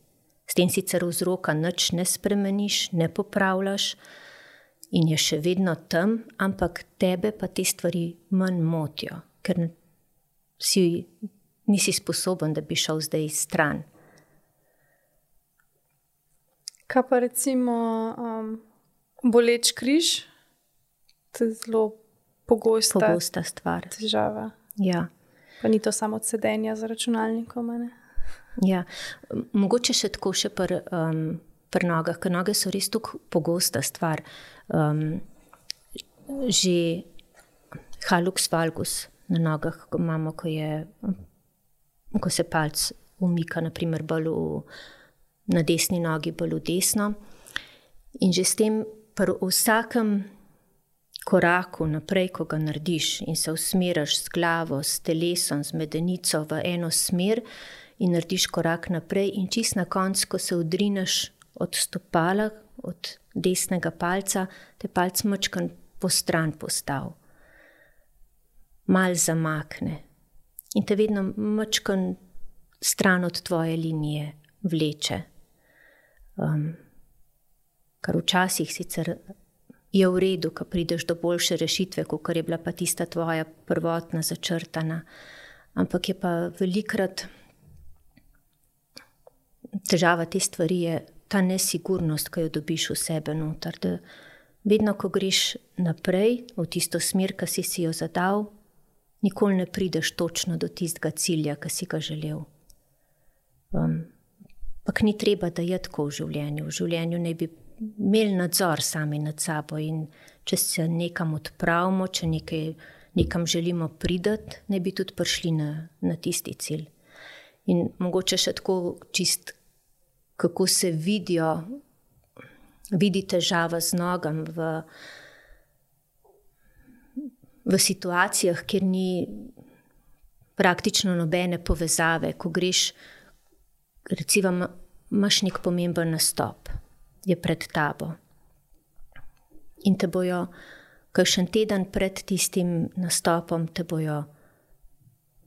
Speaker 2: S tem sicer vzroka nič ne spremeniš, ne popravljaš in je še vedno tam, ampak tebe pa te stvari manj motijo, ker nisi sposoben, da bi šel zdaj stran.
Speaker 1: Kaj pa recimo boleč križ? To je zelo pogosta
Speaker 2: stvar.
Speaker 1: Težava.
Speaker 2: Ja.
Speaker 1: Pa ni to samo od sedenja za računalnikom, ne?
Speaker 2: Ja. Mogoče še tako še pri nogah, ker noge so res tako pogosta stvar. Že hallux valgus na nogah, ko imamo, ko se palc umika, na primer bolj na desni nogi, bolj v desno. In že s tem pri vsakem koraku naprej, ko ga narediš in se usmeriš s glavo, s telesom, z medenico v eno smer in narediš korak naprej in čist na koncu, ko se odrineš od stopala, od desnega palca, te palc mačkan po stran postav. Mal zamakne in te vedno mačkan stran od tvoje linije vleče. Kar včasih sicer je v redu, ko prideš do boljše rešitve, kot je bila pa tista tvoja prvotna začrtana. Ampak je pa velikrat težava te stvari je ta nesigurnost, ki jo dobiš v sebe noter. Da vedno, ko greš naprej v tisto smer, ki si jo zadal, nikoli ne prideš točno do tistega cilja, ki si ga želel. Pak ni treba, da je tako v življenju. V življenju ne bi imeli nadzor sami nad sabo in če se nekam odpravimo, če nekam želimo priti, ne bi tudi prišli na tisti cilj. In mogoče še tako čist, kako se vidi težava z nogam v situacijah, kjer ni praktično nobene povezave, ko greš, recimo, imaš nek pomemben nastop, je pred tabo. In te bojo, kakšen teden pred tistim nastopom, te bojo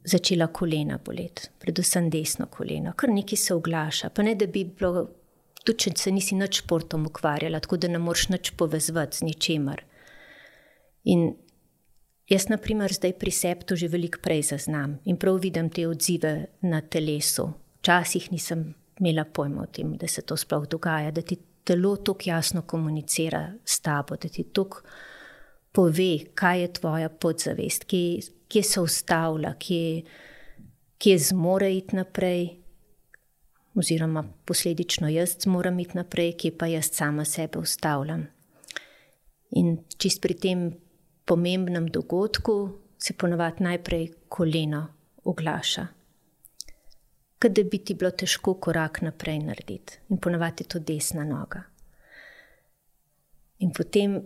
Speaker 2: začela kolena boleti, predvsem desno koleno, kar nekaj se oglaša. Pa ne, da bi bilo, tudi če se nisi nič športom ukvarjala, tako da ne moreš nič povezati z ničemer. In jaz, na primer, zdaj pri sebi to že veliko prej zaznam in prav vidim te odzive na telesu. Včasih nisem imela pojma o tem, da se to sploh dogaja, da ti telo tako jasno komunicira s tabo, da ti tako pove, kaj je tvoja podzavest, kje se ustavlja, kje zmore iti naprej, oziroma posledično jaz zmoram iti naprej, kje pa jaz sama sebe ustavljam. In čist pri tem pomembnem dogodku se ponavadi najprej koleno oglaša. Kot da bi ti bilo težko korak naprej narediti. In ponavadi je to desna noga. In potem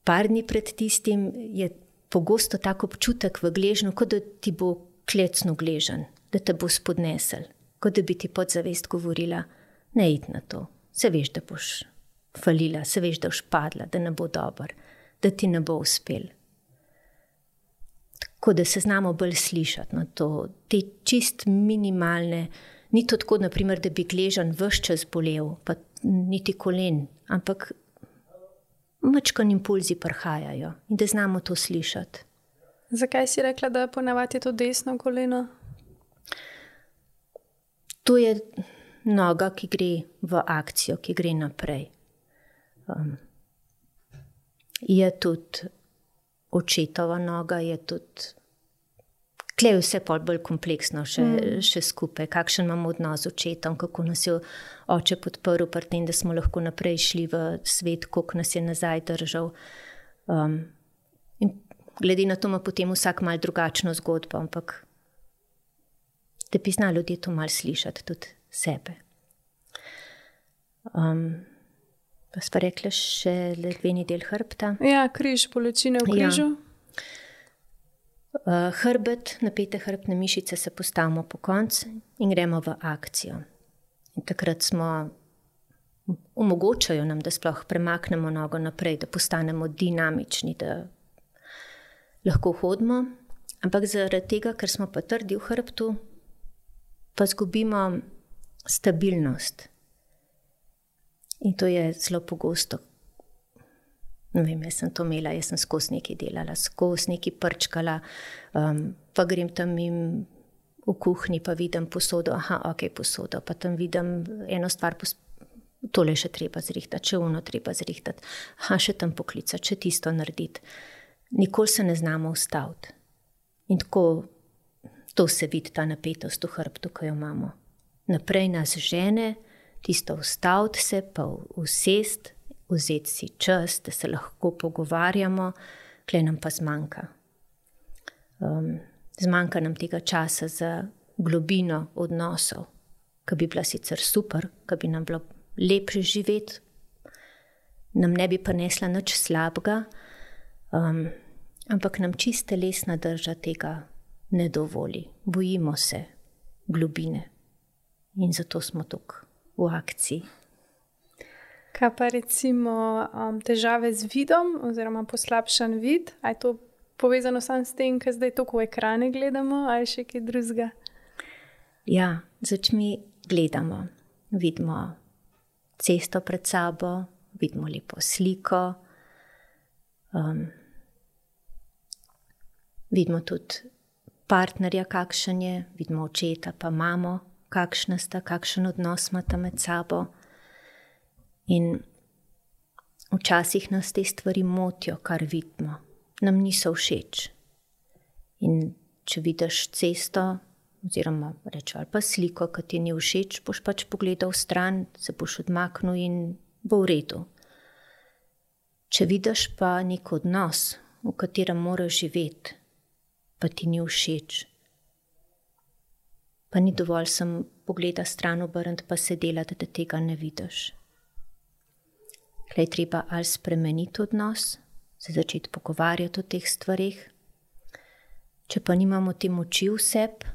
Speaker 2: par dni pred tistim je pogosto tak občutek v gležnju, kot da ti bo klecno gležen, da te bo spodnesel, kot da bi ti podzavest govorila, ne id na to, se veš, da boš falila, se veš, da boš padla, da ne bo dober, da ti ne bo uspel. Tako da se znamo bolj slišati na to, te čist minimalne, ni to tako, naprimer, da bi gležen ves čas bolel, pa niti kolen, ampak mačkan impulzi prihajajo in da znamo to slišati.
Speaker 1: Zakaj si rekla, da ponavadi je to desno koleno?
Speaker 2: To je noga, ki gre v akcijo, ki gre naprej. Je tudi očetova noga, je tudi... Tle je vse bolj kompleksno še skupaj. Kakšen imamo odnos z očetom, kako nas je oče podprl pri tem, da smo lahko naprej šli v svet, koliko nas je nazaj držal. In glede na to ima potem vsak malo drugačno zgodbo, ampak da bi znali ljudje to malo slišati, tudi sebe. Pa sva rekla še ledveni del hrbta.
Speaker 1: Ja, križ, bolečine v križu.
Speaker 2: Ja. Hrbet, napete hrbtne mišice se postavimo po koncu in gremo v akcijo. In takrat omogočajo nam, da sploh premaknemo nogo naprej, da postanemo dinamični, da lahko hodimo. Ampak zaradi tega, ker smo pa trdi v hrbtu, pa zgubimo stabilnost. In to je zelo pogosto. Ne vem, jaz sem to imela, jaz sem skozi nekaj delala, skozi nekaj prčkala, pa grem tam v kuhinji, pa vidim posodo, posodo, pa tam vidim eno stvar, tole še treba zrihtati, še ono treba zrihtati, še tam poklicati, še tisto narediti. Nikoli se ne znamo ustaviti. In tako, to se vidi, ta napetost v hrbtu, ko jo imamo. Naprej nas žene, tisto ustaviti se, pa usesti, vzeti si čas, da se lahko pogovarjamo, kle nam pa zmanjka. Zmanjka nam tega časa za globino odnosov, ki bi bila sicer super, ki bi nam bilo lepše živeti, nam ne bi prinesla nič slabega, ampak nam čist telesna drža tega ne dovoli. Bojimo se globine in zato smo tukaj v akciji.
Speaker 1: Kaj pa recimo težave z vidom oziroma poslabšan vid? A je to povezano samo s tem, ker zdaj toliko v ekrane gledamo ali še kaj drugega?
Speaker 2: Ja, z očmi gledamo. Vidimo cesto pred sabo, vidimo lepo sliko. Vidimo tudi partnerja, kakšen je, vidimo očeta pa mamo, kakšna sta, kakšen odnos imata med sabo. In včasih nas te stvari motijo, kar vidimo. Nam niso všeč. In če vidiš cesto, oziroma reči ali pa sliko, ki ti ni všeč, boš pač pogledal stran, se boš odmaknil in bo v redu. Če vidiš pa nek odnos, v katerem moraš živeti, pa ti ni všeč, pa ni dovolj sem pogleda stran obrniti, pa se delati, da tega ne vidiš. Klej treba ali spremeniti odnos, se začeti pogovarjati o teh stvarih. Če pa nimamo te moči v sebi,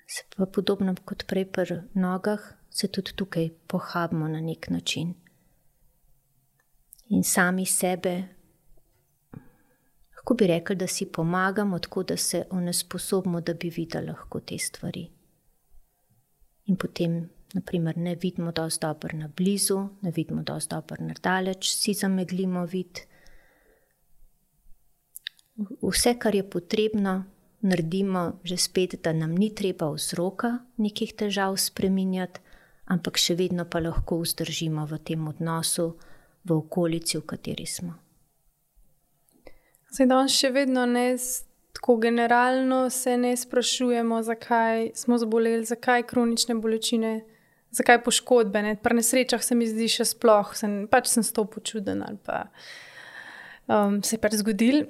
Speaker 2: se pa podobno kot prej pri nogah, se tudi tukaj pohabimo na nek način. In sami sebe, lahko bi rekli, da si pomagamo, tako da se onesposobimo, da bi videli lahko te stvari. In potem naprimer ne vidimo dosti dobro na blizu, ne vidimo dosti dobro na daleč, si zameglimo vid. Vse, kar je potrebno, naredimo že spet, da nam ni treba vzroka nekih težav spreminjati, ampak še vedno pa lahko vzdržimo v tem odnosu, v okolici, v kateri smo.
Speaker 1: Zdaj danes še vedno ne, tako generalno se ne sprašujemo, zakaj smo zboleli, zakaj kronične bolečine, zakaj poškodbe. Ne? Pri nesrečah se mi zdi še sploh, sem s to počuden ali pa se je pač zgodil.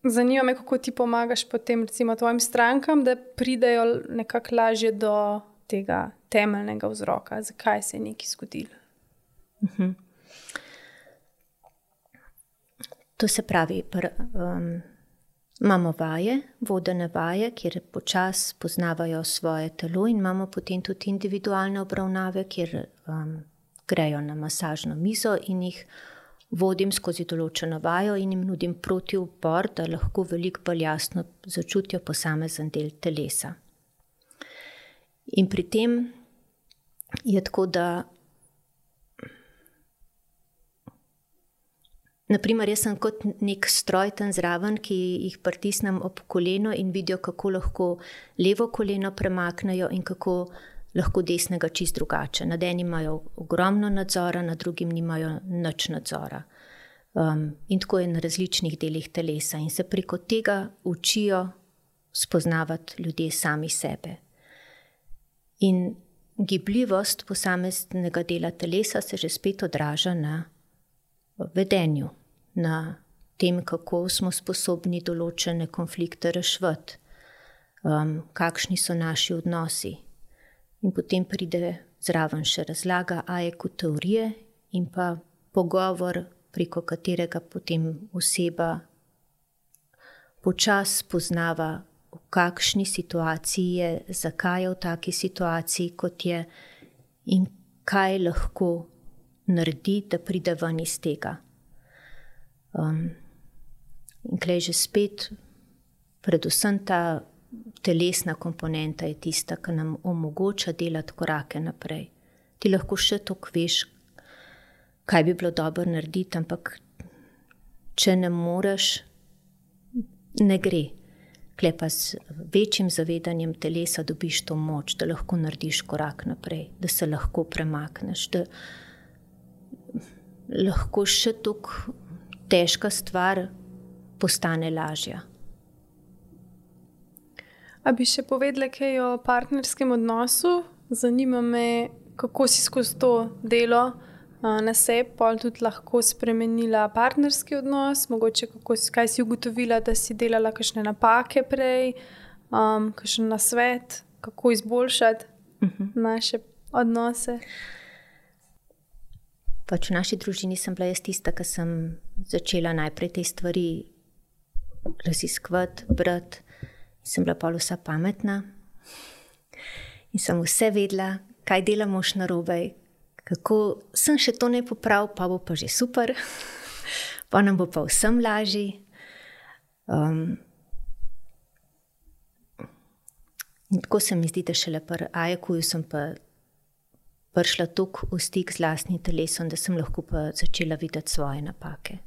Speaker 1: Zanima me, kako ti pomagaš potem recimo tvojim strankam, da pridejo nekako lažje do tega temeljnega vzroka, zakaj se je nekaj zgodilo.
Speaker 2: To se pravi, imamo vaje, vodene vaje, kjer počasi poznavajo svoje telo, in imamo potem tudi individualne obravnave, kjer grejo na masažno mizo in jih vodim skozi določeno vajo in jim nudim protiupor, da lahko veliko bolj jasno začutijo posamezen del telesa. In pri tem je tako, da naprimer, jaz sem kot nek stroj tam zraven, ki jih pritisnem ob koleno in vidijo, kako lahko levo koleno premaknejo in kako lahko desnega čist drugače. Nad enim imajo ogromno nadzora, nad drugim nimajo nič nadzora. In tako je na različnih delih telesa. In se preko tega učijo spoznavati ljudje sami sebe. In gibljivost posameznega dela telesa se že spet odraža na vedenju, na tem, kako smo sposobni določene konflikte reševati, kakšni so naši odnosi. In potem pride zraven še razlaga AEQ teorije in pa pogovor, preko katerega potem oseba počasi spoznava, v kakšni situaciji je, zakaj je v taki situaciji, kot je, in kaj lahko naredi, da pride ven iz tega. In klej že spet, predvsem ta telesna komponenta je tista, ki nam omogoča delati korake naprej. Ti lahko še toliko veš, kaj bi bilo dobro narediti, ampak če ne moreš, ne gre. Klej pa z večjim zavedanjem telesa dobiš to moč, da lahko narediš korak naprej, da se lahko premakneš, da lahko še toliko težka stvar postane lažja.
Speaker 1: A bi še povedala kaj o partnerskem odnosu? Zanima me, kako si skozi to delo na sebi pol tudi lahko spremenila partnerski odnos, mogoče kaj si ugotovila, da si delala kakšne napake prej, kakšen nasvet, kako izboljšati naše odnose.
Speaker 2: Pač v naši družini sem bila jaz tista, ki sem začela najprej te stvari raziskovati, brati. Sem bila pol vsa pametna in sem vse vedela, kaj delamo še narobe, kako sem še to ne popravil, pa bo pa že super, pa nam bo pa vsem lažji. In tako se mi zdi, da šele pri AEQ-ju sem pa prišla toliko v stik z lastnim telesom, da sem lahko pa začela videti svoje napake.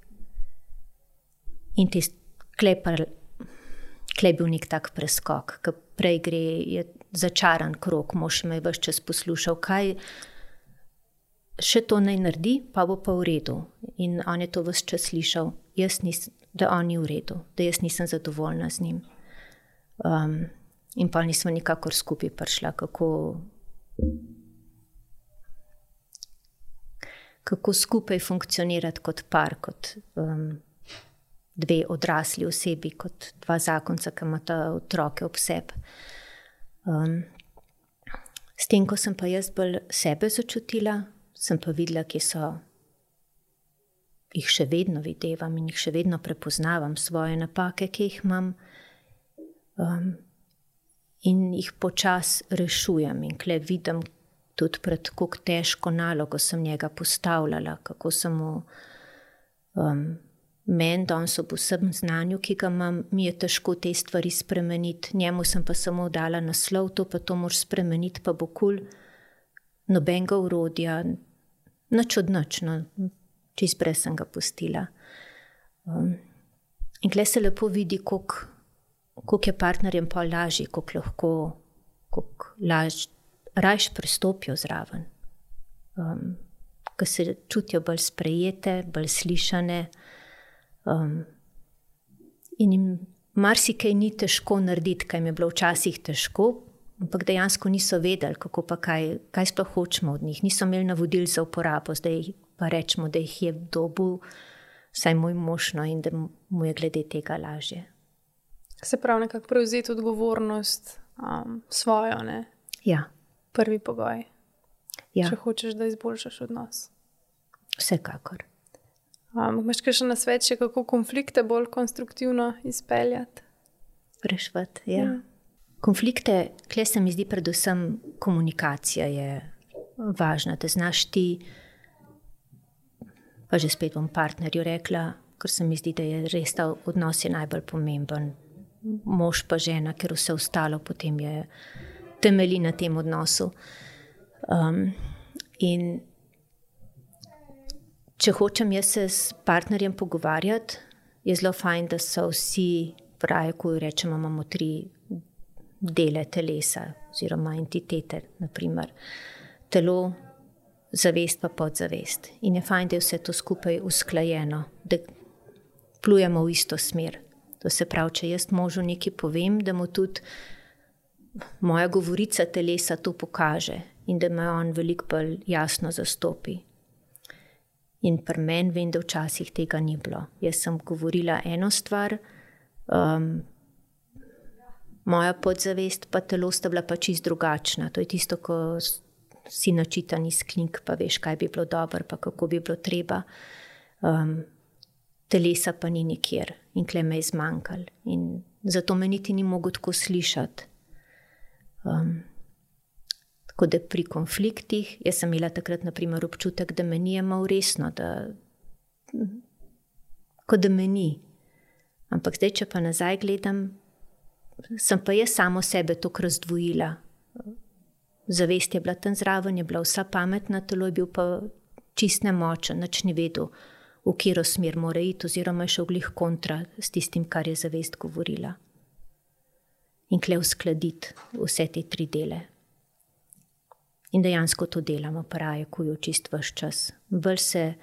Speaker 2: In klej bil nek tak preskok, ki prej gre, je začaran krog, mož me je ves čas poslušal, kaj še to naj naredi, pa bo pa v redu. In on je to ves čas slišal, da on ni v redu, da jaz nisem zadovoljna z njim. In pa nismo nikakor skupaj prišla, kako skupaj funkcionirati kot par, kot dve odrasli osebi, kot dva zakonca, ki imata otroke ob sebi. S tem, ko sem pa jaz bolj sebe začutila, sem pa videla, kje so, jih še vedno videvam in jih še vedno prepoznavam, svoje napake, ki jih imam, in jih počasi rešujem. In kle vidim tudi pred kako težko nalogo sem njega postavljala, kako sem mu meni danes ob vsem znanju, ki ga imam, mi je težko te stvari spremeniti. Njemu sem pa samo dala naslov, to pa to moraš spremeniti, pa bo kul, nobenega orodja, nič od nič, no, čist brez sem ga pustila. In kle se lepo vidi, koliko je partnerjem pa lažji, koliko rajš pristopijo zraven. Ko se čutijo bolj sprejete, bolj slišane, in jim marsikaj ni težko narediti, kaj mi je bilo včasih težko, ampak dejansko niso vedeli, kako pa kaj sploh hočemo od njih. Niso imeli navodil za uporabo, zdaj pa rečemo, da jih je dobil, vsaj moj mož, no, in da mu je glede tega lažje.
Speaker 1: Se pravi, nekako prevzeti odgovornost svojo, ne?
Speaker 2: Ja.
Speaker 1: Prvi pogoj.
Speaker 2: Ja.
Speaker 1: Če hočeš, da izboljšaš odnos.
Speaker 2: Vsekakor.
Speaker 1: Imaš kakšen nasvet še, kako konflikte bolj konstruktivno izpeljati?
Speaker 2: Reševati, ja. Konflikte, kle se mi zdi predvsem komunikacija je važna, da znaš ti, pa že spet bom partnerju rekla, ker se mi zdi, da je res ta odnos je najbolj pomemben. Mož pa žena, ker vse ostalo potem je temelji na tem odnosu. In če hočem jaz se s partnerjem pogovarjati, je zelo fajn, da so vsi, pravi, ko rečemo, imamo 3 dele telesa oziroma entitete, naprimer telo, zavest pa podzavest. In je fajn, da je vse to skupaj usklajeno, da plujemo v isto smer. To se pravi, če jaz možu nekaj povem, da mu tudi moja govorica telesa to pokaže in da me on veliko bolj jasno zastopi. In pri meni vem, da včasih tega ni bilo. Jaz sem govorila eno stvar, moja podzavest pa telo sta bila pa čisto drugačna. To je tisto, ko si načitan iz knjig, pa veš, kaj bi bilo dobro, pa kako bi bilo treba. Telesa pa ni nikjer in kle me je zmanjkalo. In zato me niti ni mogel tako slišati. Tako da pri konfliktih, jaz sem imela takrat naprimer občutek, da me ni jemal resno, kot da me ni. Ampak zdaj, če pa nazaj gledam, sem pa jaz samo sebe toliko razdvojila. Zavest je bila tam zraven, je bila vsa pametna, telo je bil pa čist nemočen, nič ni vedel, v katero smer mora iti, oziroma je šel glih kontra s tistim, kar je zavest govorila. In kle uskladiti vse te 3 dele. In dejansko to delamo, pravi, ko jo čist vaš čas. Bolj se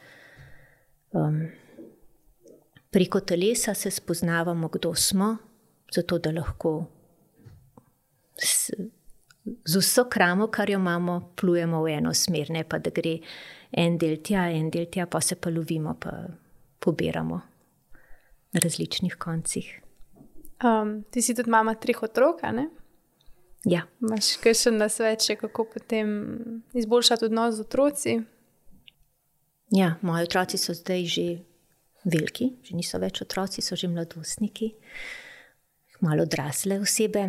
Speaker 2: preko telesa se spoznavamo, kdo smo, zato da lahko z vso kramo, kar jo imamo, plujemo v eno smer, ne pa da gre en del tja, pa se pa lovimo, pa pobiramo na različnih koncih.
Speaker 1: Ti si tudi mama 3 otrok, ne?
Speaker 2: Ja.
Speaker 1: Imaš kakšen nasvet še, kako potem izboljšati odnos z otroci?
Speaker 2: Ja, moji otroci so zdaj že veliki, že niso več otroci, so že mladostniki, malo odrasle osebe.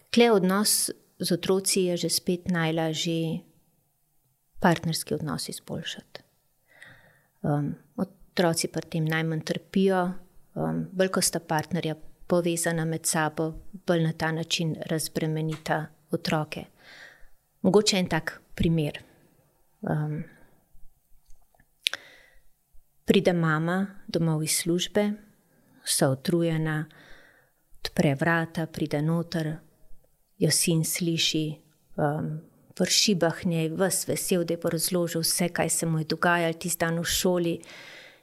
Speaker 2: Kle odnos z otroci je že spet najlažji partnerski odnos izboljšati. Otroci pri tem najmanj trpijo, bolj ko sta partnerja povezana med sabo, bolj na ta način razbremenita otroke. Mogoče en tak primer. Pride mama domov iz službe, vsa utrujena, odpre vrata, pride noter, jo sin sliši, vrši njej, ves vesel, da je bo razložil vse, kaj se mu je dogajalo tisti dan v šoli.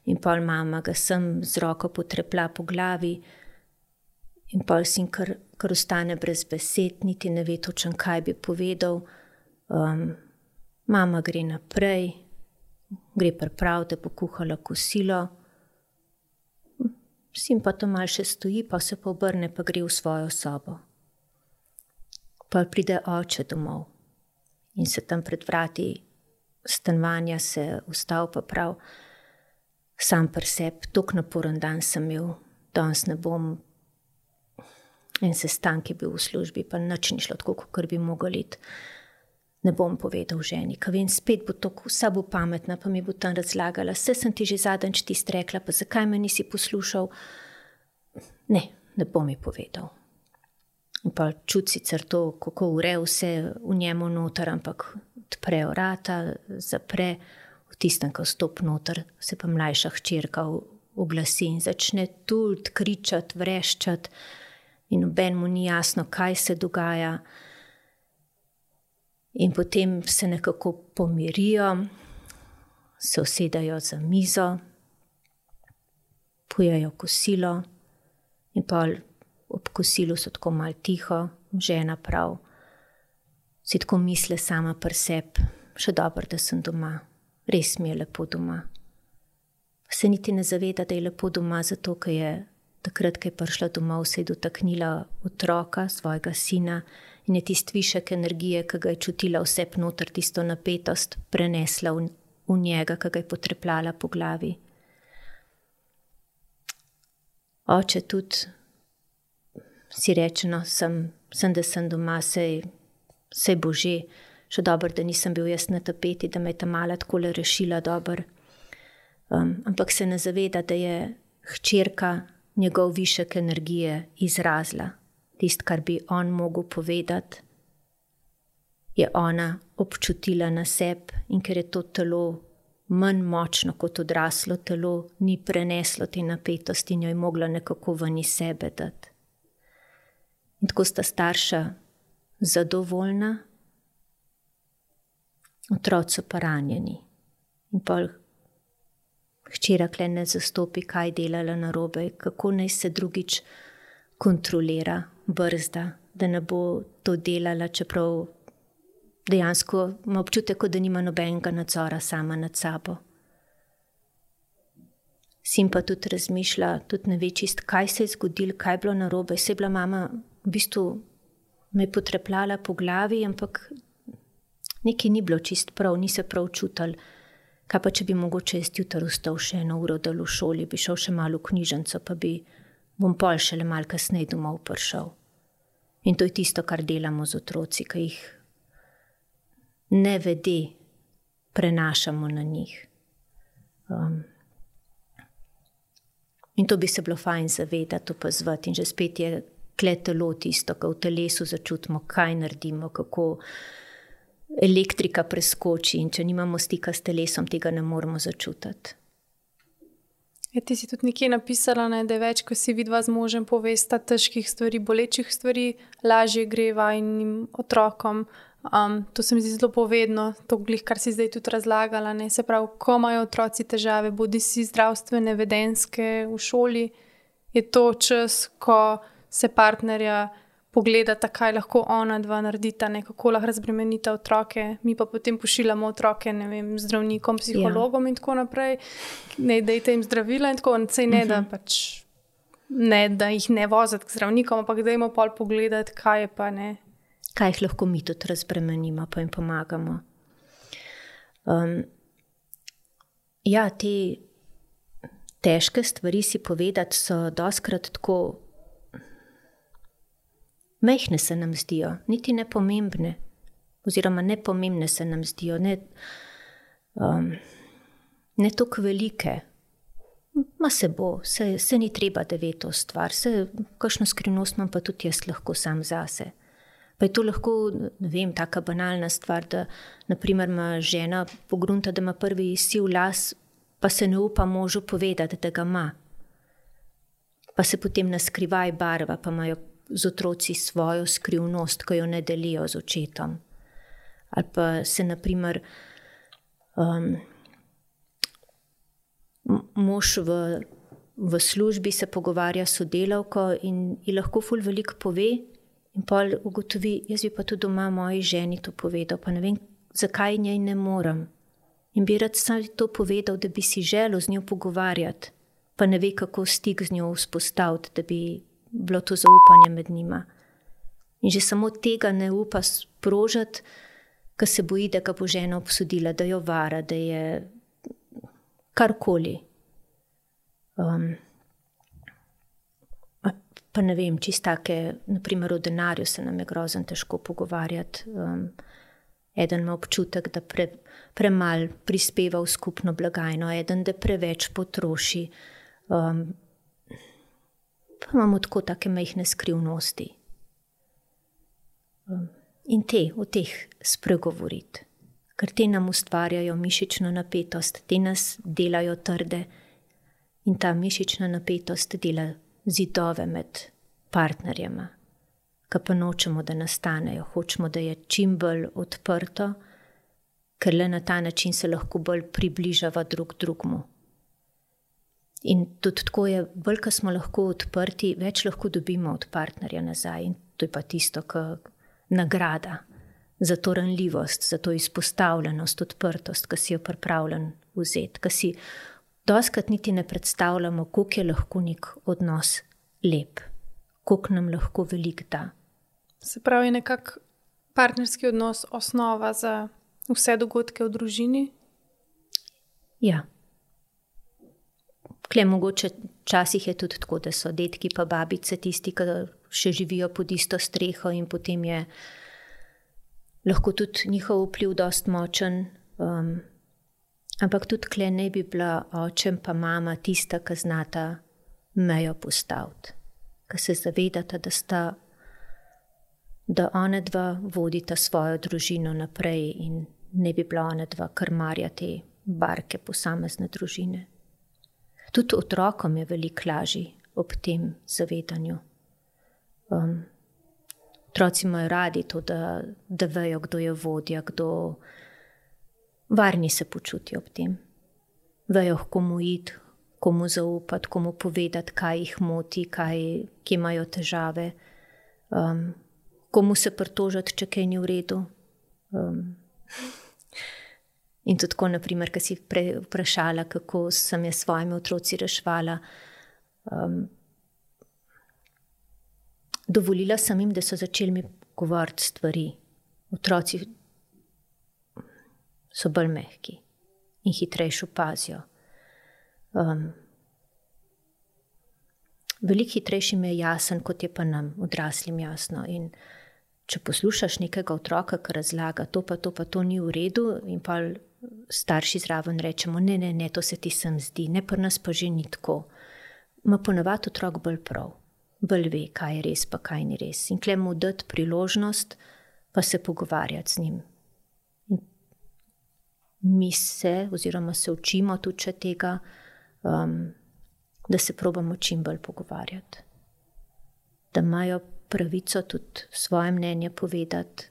Speaker 2: In pol mama ga sem z roko potrepla po glavi in pol sin kar ostane brez besed, niti ne ve točno, kaj bi povedal. Mama gre naprej, gre priprav, da bo kuhala kosilo. Sin pa to malo še stoji, pa se pa obrne, pa gre v svojo sobo. Pol pride oče domov in se tam pred vrati stanovanja se ustavil pa prav, sam pri sebi, toliko naporen dan sem imel, danes ne bom, en sestanek je bil v službi, pa nič ni šlo tako, kot bi mogel iti. Ne bom povedal ženi, ka vem, spet bo to, vsa bo pametna, pa mi bo tam razlagala, vse sem ti že zadnjič tisto rekla, pa zakaj me nisi poslušal? Ne bom mi povedal. In pa čuti sicer to, kako ure vse v njemu noter, ampak odpre vrata, zapre, v tistem, ko stop noter, se pa mlajša hčerka oglasi in začne tult, kričati, vreščati in nobenemu ni jasno, kaj se dogaja. In potem se nekako pomirijo, se usedajo za mizo, pojejo kosilo in pa ob kosilu so tako malo tiho, žena prav, si tako misle sama pri sebi, še dobro, da sem doma. Res mi je lepo doma. Se niti ne zaveda, da je lepo doma, zato ker je takrat, ko je prišla domov, se je dotaknila otroka, svojega sina, in je tisti višek energije, ki ga je čutila vse noter, tisto napetost, prenesla v njega, ki ga je potrepljala po glavi. Oče tudi si reče, no, da sem doma, sej bo že. Še dobro, da nisem bil jaz na tapeti, da me je ta mala takole rešila dobro. Ampak se ne zaveda, da je hčerka njegov višek energije izrazila. Tist, kar bi on mogel povedati, je ona občutila na sebi, in ker je to telo manj močno kot odraslo telo, ni preneslo te napetosti in jo je mogla nekako ven iz sebe dati. In tako sta starša zadovoljna, otroci pa ranjeni. In pol hčera kle ne zastopi, kaj delala narobe, kako naj se drugič kontrolira, brzda, da ne bo to delala, čeprav dejansko ima občutek, da nima nobenega nadzora sama nad sabo. Sin pa tudi razmišlja, tudi ne ve čist, kaj se je zgodilo, kaj je bilo narobe. Se je bila mama, v bistvu me je potrepljala po glavi, ampak nekaj ni bilo čist prav, ni se prav čutil. Kaj pa, če bi mogoče jaz jutri vstal še 1 uro dal v šoli, bi šel še malo v knjižnico, pa bom pol šele malo kasneje domov prišel. In to je tisto, kar delamo z otroci, ki jih nevede prenašamo na njih. In to bi se bilo fajn zavedati, opazovati. In že spet je kle telo tisto, ko v telesu začutimo, kaj naredimo, kako elektrika preskoči, in če nimamo stika s telesom, tega ne moremo začutiti.
Speaker 1: Ti si tudi nekje napisala, da je več, ko si vidva z možem povesta težkih stvari, bolečih stvari, lažje gre vajinim otrokom. To se mi zdi zelo povedno, to glih, kar si zdaj tudi razlagala. Ne? Se pravi, ko imajo otroci težave, bodi si zdravstvene, vedenjske v šoli, je to čas, ko se partnerja pogledata, kaj lahko ona dva naredita, kako lahko razbremenita otroke, mi pa potem pošiljamo otroke, ne vem, zdravnikom, psihologom in tako naprej, ne dajte jim zdravila in tako, sej ne, da pač ne, da jih ne voziti k zdravnikom, ampak dajmo pol pogledati, kaj je pa ne.
Speaker 2: Kaj jih lahko mi tudi razbremenimo, pa jim pomagamo. Ja, te težke stvari si povedati so dostikrat tako mehne se nam zdijo, niti nepomembne, oziroma nepomembne se nam zdijo, ne toliko velike. Ma se bo, se ni treba, da ve to stvar, kakšno skrivnost imam pa tudi jaz lahko sam zase. Pa je to lahko, ne vem, taka banalna stvar, da naprimer ima žena pogrunta, da ima prvi siv las, pa se ne upa možu povedati, da ga ima. Pa se potem naskrivaj barva, pa imajo z otroci svojo skrivnost, ko jo ne delijo z očetom. Ali pa se naprimer mož v službi se pogovarja s sodelavko in ji lahko ful veliko pove in pol ugotovi, jaz bi pa tudi doma moji ženi to povedal, pa ne vem, zakaj njej ne morem. In bi rad sam to povedal, da bi si želel z njo pogovarjati, pa ne ve, kako stik z njo vzpostaviti, da bi bilo to zaupanje med njima. In že samo tega ne upa sprožati, ker se boji, da ga bo žena obsodila, da jo vara, da je karkoli. Pa ne vem, čistake, naprimer o denarju se nam je grozen težko pogovarjati. Eden ima občutek, da premal prispeva v skupno blagajno, eden, da preveč potroši. Pa imamo tako take majhne skrivnosti. In o teh spregovoriti, ker te nam ustvarjajo mišično napetost, te nas delajo trde in ta mišična napetost dela zidove med partnerjema, ki pa nočemo, da nastanejo, hočemo, da je čim bolj odprto, ker le na ta način se lahko bolj približava drug drugmu. In tudi tako je, bolj, ko smo lahko odprti, več lahko dobimo od partnerja nazaj. In to je pa tisto, nagrada, za to ranljivost, za to izpostavljenost, odprtost, ki si jo pripravljen vzeti, ki si dostikrat niti ne predstavljamo, koliko je lahko nek odnos lep, koliko nam lahko veliko da.
Speaker 1: Se pravi, nekak partnerski odnos osnova za vse dogodke v družini?
Speaker 2: Ja. Kle, mogoče včasih je tudi tako, da so dedki pa babice tisti, ki še živijo pod isto streho in potem je lahko tudi njihov vpliv dost močen. Ampak tudi kle ne bi bila očem pa mama tista, ki znata mejo postaviti. Ki se zavedata, da one dva vodita svojo družino naprej in ne bi bila one dva krmarja te barke posamezne družine. Tudi otrokom je veliko lažje ob tem zavedanju. Otroci imajo radi to, da vejo, kdo je vodja, kdo varni se počutijo ob tem. Vejo, komu iti, komu zaupati, komu povedati, kaj jih moti, kje imajo težave, komu se pritožiti, če kaj ni v redu. In tudi tako, naprimer, ko si prej vprašala, kako sem jaz svojimi otroci reševala, dovolila sem jim, da so začeli mi govoriti stvari. Otroci so bolj mehki in hitrejše opazijo. Veliko hitrejši mi je jasen, kot je pa nam, odraslim, jasno. In če poslušaš nekega otroka, ki razlaga, to pa to ni v redu, in pa starši zraven rečemo, ne, to se ti sem zdi, ne, pri nas pa že ni tako. Ma ponavadi otrok bolj prav, bolj ve, kaj je res pa kaj ni res. In kle mu dati priložnost, pa se pogovarjati z njim. In mi se učimo tudi še tega, da se probamo čim bolj pogovarjati. Da imajo pravico tudi svoje mnenje povedati.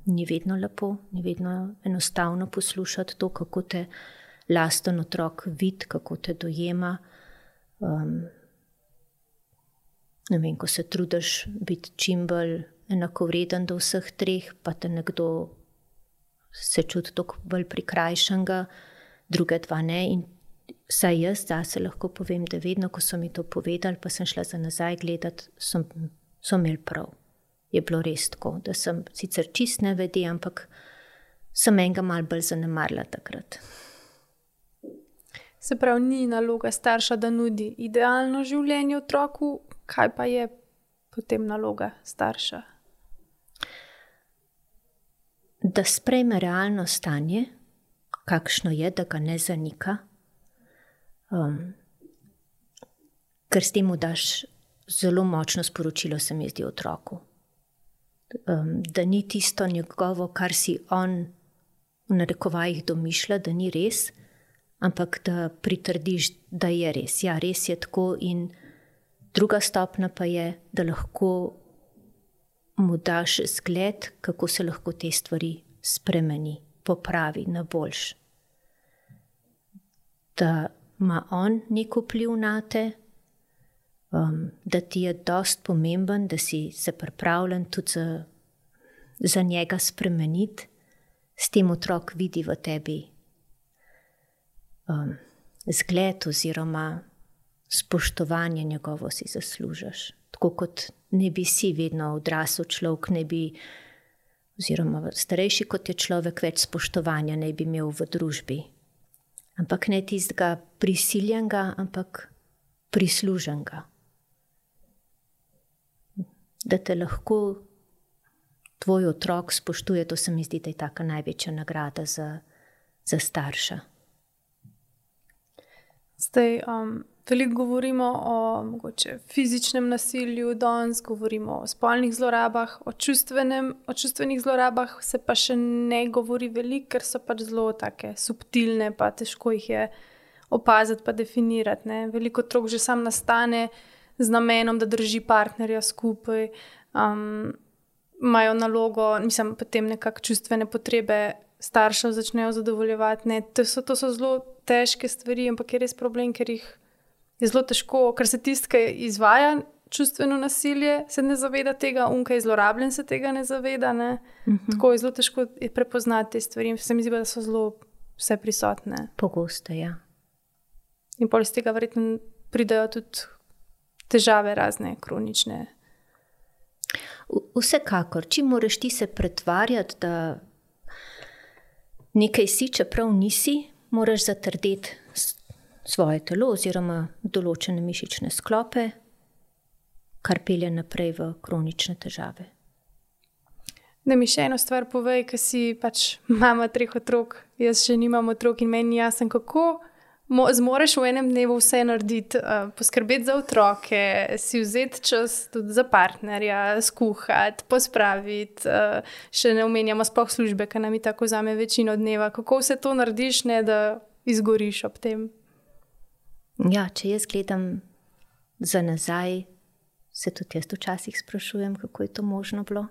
Speaker 2: Ni vedno lepo, ni vedno enostavno poslušati to, kako te lasten otrok vidi, kako te dojema. Ne vem, ko se trudiš biti čim bolj enakovreden do vseh treh, pa te nekdo se čuti toliko bolj prikrajšanega, druge dva ne. In saj jaz zase lahko povem, da vedno, ko so mi to povedali, pa sem šla za nazaj gledati, so imeli prav. Je bilo res tako, da sem sicer čist nevede, ampak sem enega malo bolj zanemarila takrat.
Speaker 1: Se pravi, ni naloga starša, da nudi idealno življenje otroku, kaj pa je potem naloga starša?
Speaker 2: Da sprejme realno stanje, kakšno je, da ga ne zanika, ker s tem daš zelo močno sporočilo, se mi zdi, otroku. Da ni tisto njegovo, kar si on v narekovajih domišlja, da ni res, ampak da pritrdiš, da je res. Ja, res je tako. In druga stopnja pa je, da lahko mu daš zgled, kako se lahko te stvari spremeni, popravi na boljš. Da ima on nek vpliv na te, da ti je dost pomemben, da si se pripravljen tudi za njega spremeniti, s tem otrok vidi v tebi zgled oziroma spoštovanje njegovo si zaslužiš. Tako kot ne bi si vedno odrasel človek, ne bi, oziroma starejši kot je človek, več spoštovanja ne bi imel v družbi. Ampak ne tistega prisiljenega, ampak prisluženega. Da te lahko tvoj otrok spoštuje, to se mi zdi, da je taka največja nagrada za starša.
Speaker 1: Zdaj, veliko govorimo o mogoče fizičnem nasilju, danes govorimo o spolnih zlorabah, o čustvenih zlorabah se pa še ne govori veliko, ker so pač zelo take subtilne, pa težko jih je opaziti pa definirati. Ne? Veliko otrok že sam nastane z namenom, da drži partnerja skupaj, imajo nalogo, potem nekako čustvene potrebe staršev začnejo zadovoljevati. Ne? To so zelo težke stvari, ampak je res problem, ker jih je zelo težko, ker se tisti, ki izvaja čustveno nasilje, se ne zaveda tega, ki je zlorabljen, se tega ne zaveda. Ne? Tako je zelo težko prepoznati te stvari. Se mi zdi, da so zelo vse prisotne.
Speaker 2: Pogosto, ja.
Speaker 1: In pol iz tega verjetno pridejo tudi težave razne, kronične.
Speaker 2: Vsekakor, če moraš ti se pretvarjati, da nekaj si, čeprav nisi, moraš zatrdeti svoje telo oziroma določene mišične sklope, kar pelje naprej v kronične težave.
Speaker 1: Da mi še eno stvar povej, ker si pač mama 3 otrok, jaz še nimam otrok in meni jasen, kako zmoreš v enem dnevu vse narediti, poskrbeti za otroke, si vzeti čas tudi za partnerja, skuhati, pospraviti, še ne omenjamo sploh službe, ker nam je tako vzame večino dneva. Kako vse to narediš, ne da izgoriš ob tem?
Speaker 2: Ja, če jaz gledam za nazaj, se tudi jaz včasih sprašujem, kako je to možno bilo.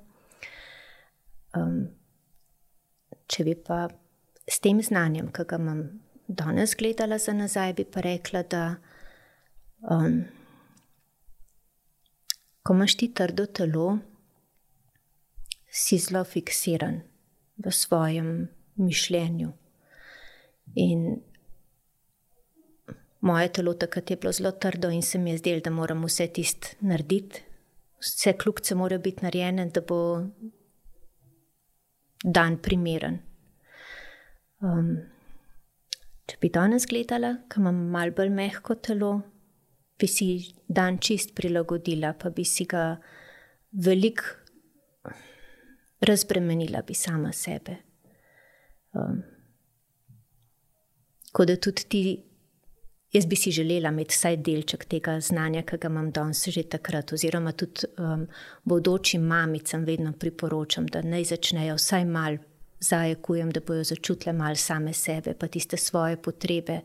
Speaker 2: Če bi pa s tem znanjem, ki ga imam danes gledala za nazaj, bi pa rekla, da ko imaš ti trdo telo, si zelo fiksiran v svojem mišljenju. In moje telo takrat je bilo zelo trdo in se mi je zdelo, da moram vse tisto narediti. Vse kljukice morajo biti narejene, da bo dan primeren. Če bi danes gledala, ko imam malo bolj mehko telo, bi si dan čist prilagodila, pa bi si ga veliko razbremenila bi sama sebe. Tako da tudi ti, jaz bi si želela imeti vsaj delček tega znanja, ki ga imam danes že takrat, oziroma tudi bodočim mamicam vedno priporočam, da naj začnejo vsaj malo zajekujem, da bojo začutile malo same sebe, pa tiste svoje potrebe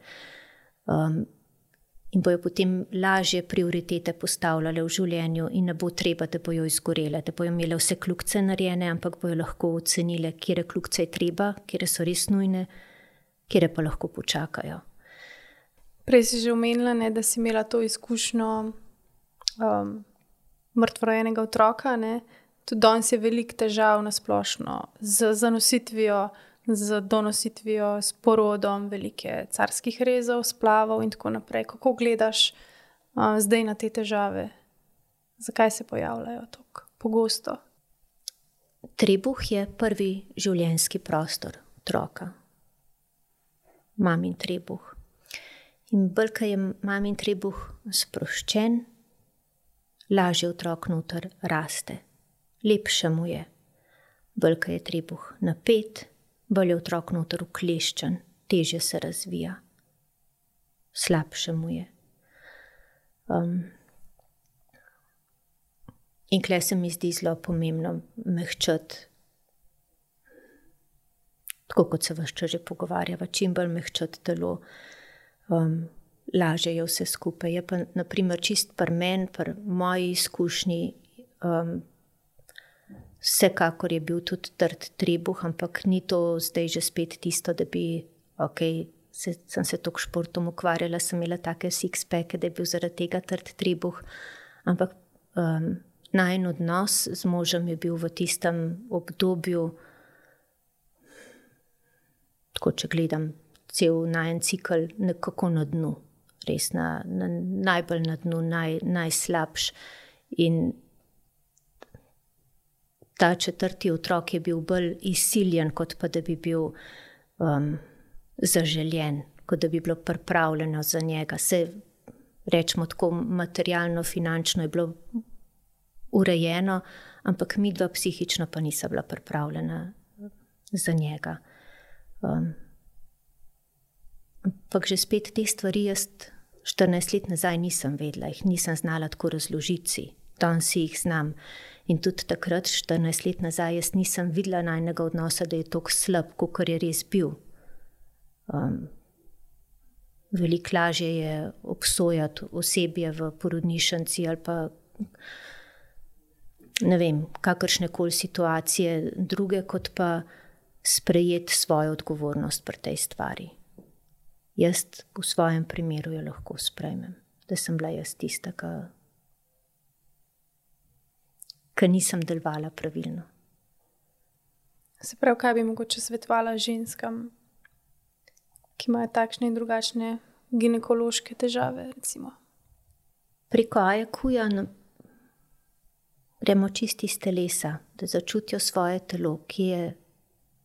Speaker 2: in bojo potem lažje prioritete postavljale v življenju in ne bo treba, da bojo izgorele, da bojo imele vse kljukice narejene, ampak bojo lahko ocenile, kire kljukice je treba, kire so res nujne, kire pa lahko počakajo.
Speaker 1: Prej si že omenila, ne, da si imela to izkušnjo mrtvorojenega otroka, ne? Tudi danes je veliko težav na splošno z zanositvijo, z donositvijo, s porodom, velike carskih rezov, splavov in tako naprej. Kako gledaš zdaj na te težave? Zakaj se pojavljajo tako pogosto?
Speaker 2: Trebuh je prvi življenjski prostor otroka. Mamin trebuh. In bolj, ko je mamin trebuh sproščen, lažje otrok noter raste. Lepše mu je. Bolj, ko je trebuh napet, bolj je otrok noter ukleščen, težje se razvija. Slabše mu je. In tukaj se mi zdi zelo pomembno mehčati, tako kot se ves čas že pogovarjava, čim bolj mehčati telo, lažje je vse skupaj. Je pa, na primer, čist pri meni, pri moji izkušnji, vsekakor je bil tudi trd trebuh, ampak ni to zdaj že spet tisto, da bi, sem se toliko športom ukvarjala, sem imela take six-packe, da je bil zaradi tega trd trebuh, ampak najin odnos z možem je bil v tistem obdobju, tako če gledam cel najin cikl, nekako na dnu, res najbolj na dnu, najslabš. In ta 4. otrok je bil bolj izsiljen, kot pa da bi bil zaželjen, kot da bi bilo pripravljeno za njega. Se rečemo tako materialno, finančno je bilo urejeno, ampak midva psihično pa nisa bila pripravljena za njega. Ampak že spet te stvari jaz 14 let nazaj nisem vedela, jih nisem znala tako razložiti si. Danes si jih znam. In tudi takrat, 14 let nazaj, jaz nisem videla najnega odnosa, da je tako slab, kakor je res bil. Veliko lažje je obsojati osebje v porodnišnici ali pa ne vem, kakršnekoli situacije druge, kot pa sprejeti svojo odgovornost pri tej stvari. Jaz v svojem primeru jo lahko sprejmem, da sem bila jaz tista, ker nisem delovala pravilno.
Speaker 1: Se pravi, kaj bi mogoče svetovala ženskam, ki imajo takšne in drugačne ginekološke težave, recimo?
Speaker 2: Preko AEQ-ja gremo čisti iz telesa, da začutijo svoje telo, ki je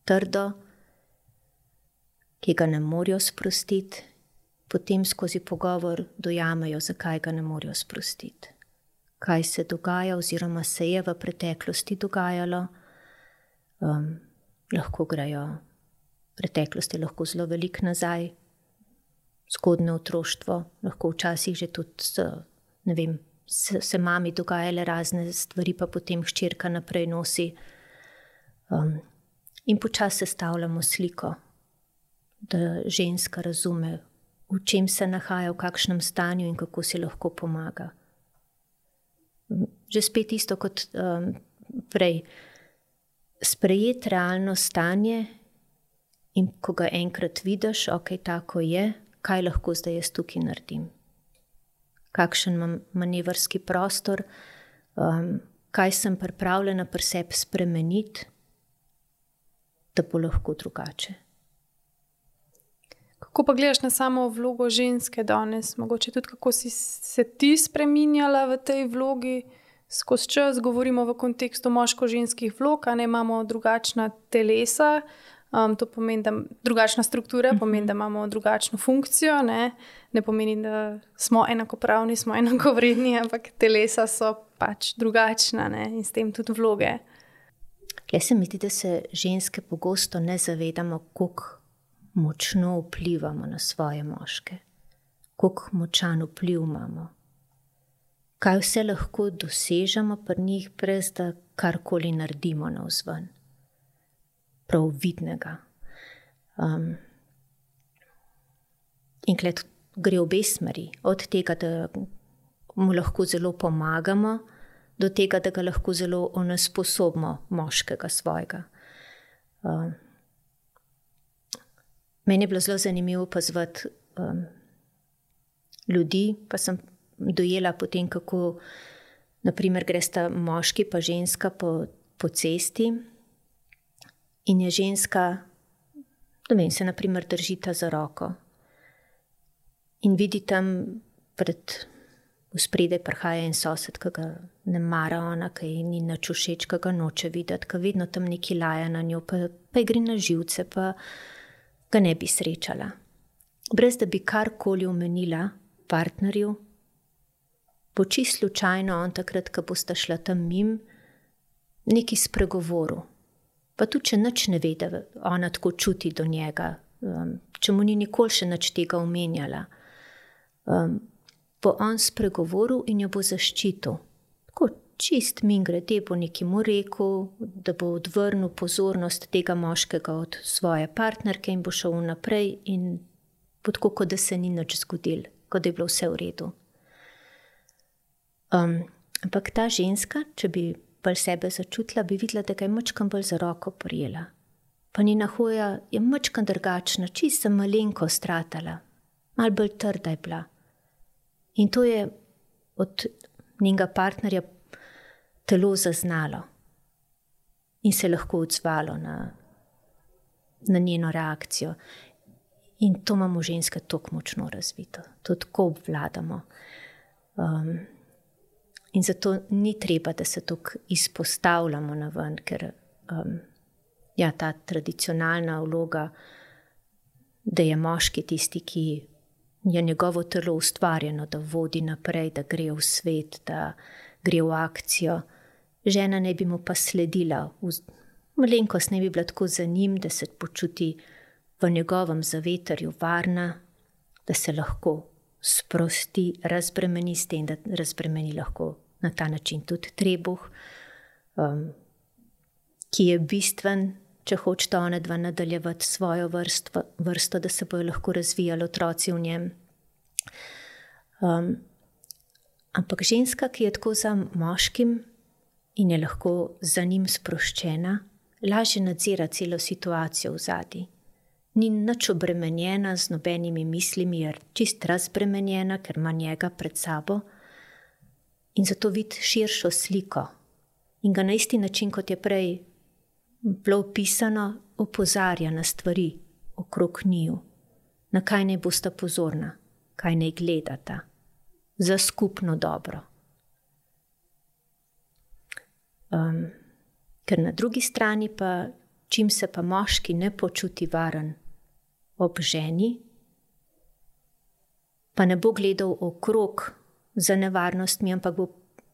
Speaker 2: trdo, ki ga ne morejo sprostiti, potem skozi pogovor dojamejo, zakaj ga ne morejo sprostiti. Kaj se dogaja oziroma se je v preteklosti dogajalo. Lahko grejo, preteklost je lahko zelo veliko nazaj, zgodnje otroštvo, lahko včasih že tudi, ne vem, se mami dogajale razne stvari, pa potem hčerka naprej nosi. In počasi sestavljamo sliko, da ženska razume, v čem se nahaja, v kakšnem stanju in kako si lahko pomaga. Že spet isto kot prej. Sprejeti realno stanje in ko ga enkrat vidiš, ok, tako je, kaj lahko zdaj jaz tukaj naredim. Kakšen imam manevrski prostor, kaj sem pripravljena pri sebi spremeniti, da bo lahko drugače.
Speaker 1: Kako pa gledaš na samo vlogo ženske danes? Mogoče tudi kako si se ti spreminjala v tej vlogi skozi čas? Govorimo v kontekstu moško-ženskih vlog, a ne imamo drugačna telesa. To pomeni, da drugačna struktura, pomeni, da imamo drugačno funkcijo. Ne pomeni, da smo enakopravni, smo enakovredni, ampak telesa so pač drugačna, ne? In s tem tudi vloge.
Speaker 2: Tukaj se mi zdi, da se ženske pogosto ne zavedamo, koliko močno vplivamo na svoje moške, koliko močan vpliv imamo, kaj vse lahko dosežemo pri njih, brez da karkoli naredimo navzven, prav vidnega. In tukaj gre obe smeri, od tega, da mu lahko zelo pomagamo, do tega, da ga lahko zelo onesposobimo moškega svojega. Meni je bilo zelo zanimivo opazovati ljudi, pa sem dojela potem, kako naprimer gresta moški pa ženska po cesti in je ženska, ne vem, se naprimer držita za roko in vidi tam v spredaj prihaja en sosed, ki ga ne mara ona, ki ji ni nič všeč, ki ga noče videti, ki vedno tam neki laja na njo, pa ji gre na živce, pa ga ne bi srečala. Brez da bi karkoli omenila partnerju, bo čisto slučajno on takrat, ko bosta šla tam mim, neki spregovoril. Pa tudi, če nič ne ve, da ona tako čuti do njega, če mu ni nikoli še nič tega omenjala, bo on spregovoril in jo bo zaščitil. Tako čist mingrede bo nekaj mu rekel, da bo odvrnil pozornost tega moškega od svoje partnerke in bo šel naprej in bo tako, kot da se ni nič zgodilo, kot da je bilo vse v redu. Ampak ta ženska, če bi bolj sebe začutila, bi videla, da ga je mačkam bolj za roko prijela. Pa njena hoja je mačkam drugačna, čisto malenko stratala, malo bolj trda je bila. In to je od njenega partnerja telo zaznalo in se lahko odzvalo na njeno reakcijo. In to imamo ženske toliko močno razvito, to tako obvladamo. In zato ni treba, da se tako izpostavljamo naven, ker ta tradicionalna vloga, da je moški tisti, ki je njegovo telo ustvarjeno, da vodi naprej, da gre v svet, da gre v akcijo. Žena ne bi mu pa sledila, malenkost ne bi bila tako za njim, da se počuti v njegovem zavetrju varna, da se lahko sprosti, razbremeni s tem, da razbremeni lahko na ta način tudi trebuh, ki je bistven, če hočeta ona dva nadaljevati svojo vrsto, da se bojo lahko razvijali otroci v njem. Ampak ženska, ki je tako za moškim in je lahko za njim sproščena, lažje nadzira celo situacijo v zadnji. Ni nič obremenjena z nobenimi mislimi, je čist razbremenjena, ker ima njega pred sabo in zato vidi širšo sliko. in ga na isti način, kot je prej bilo opisano, opozarja na stvari okrog njiju, na kaj naj bosta pozorna, kaj naj gledata, za skupno dobro. Ker na drugi strani pa, čim se pa moški ne počuti varen ob ženi, pa ne bo gledal okrog za nevarnostmi, ampak bo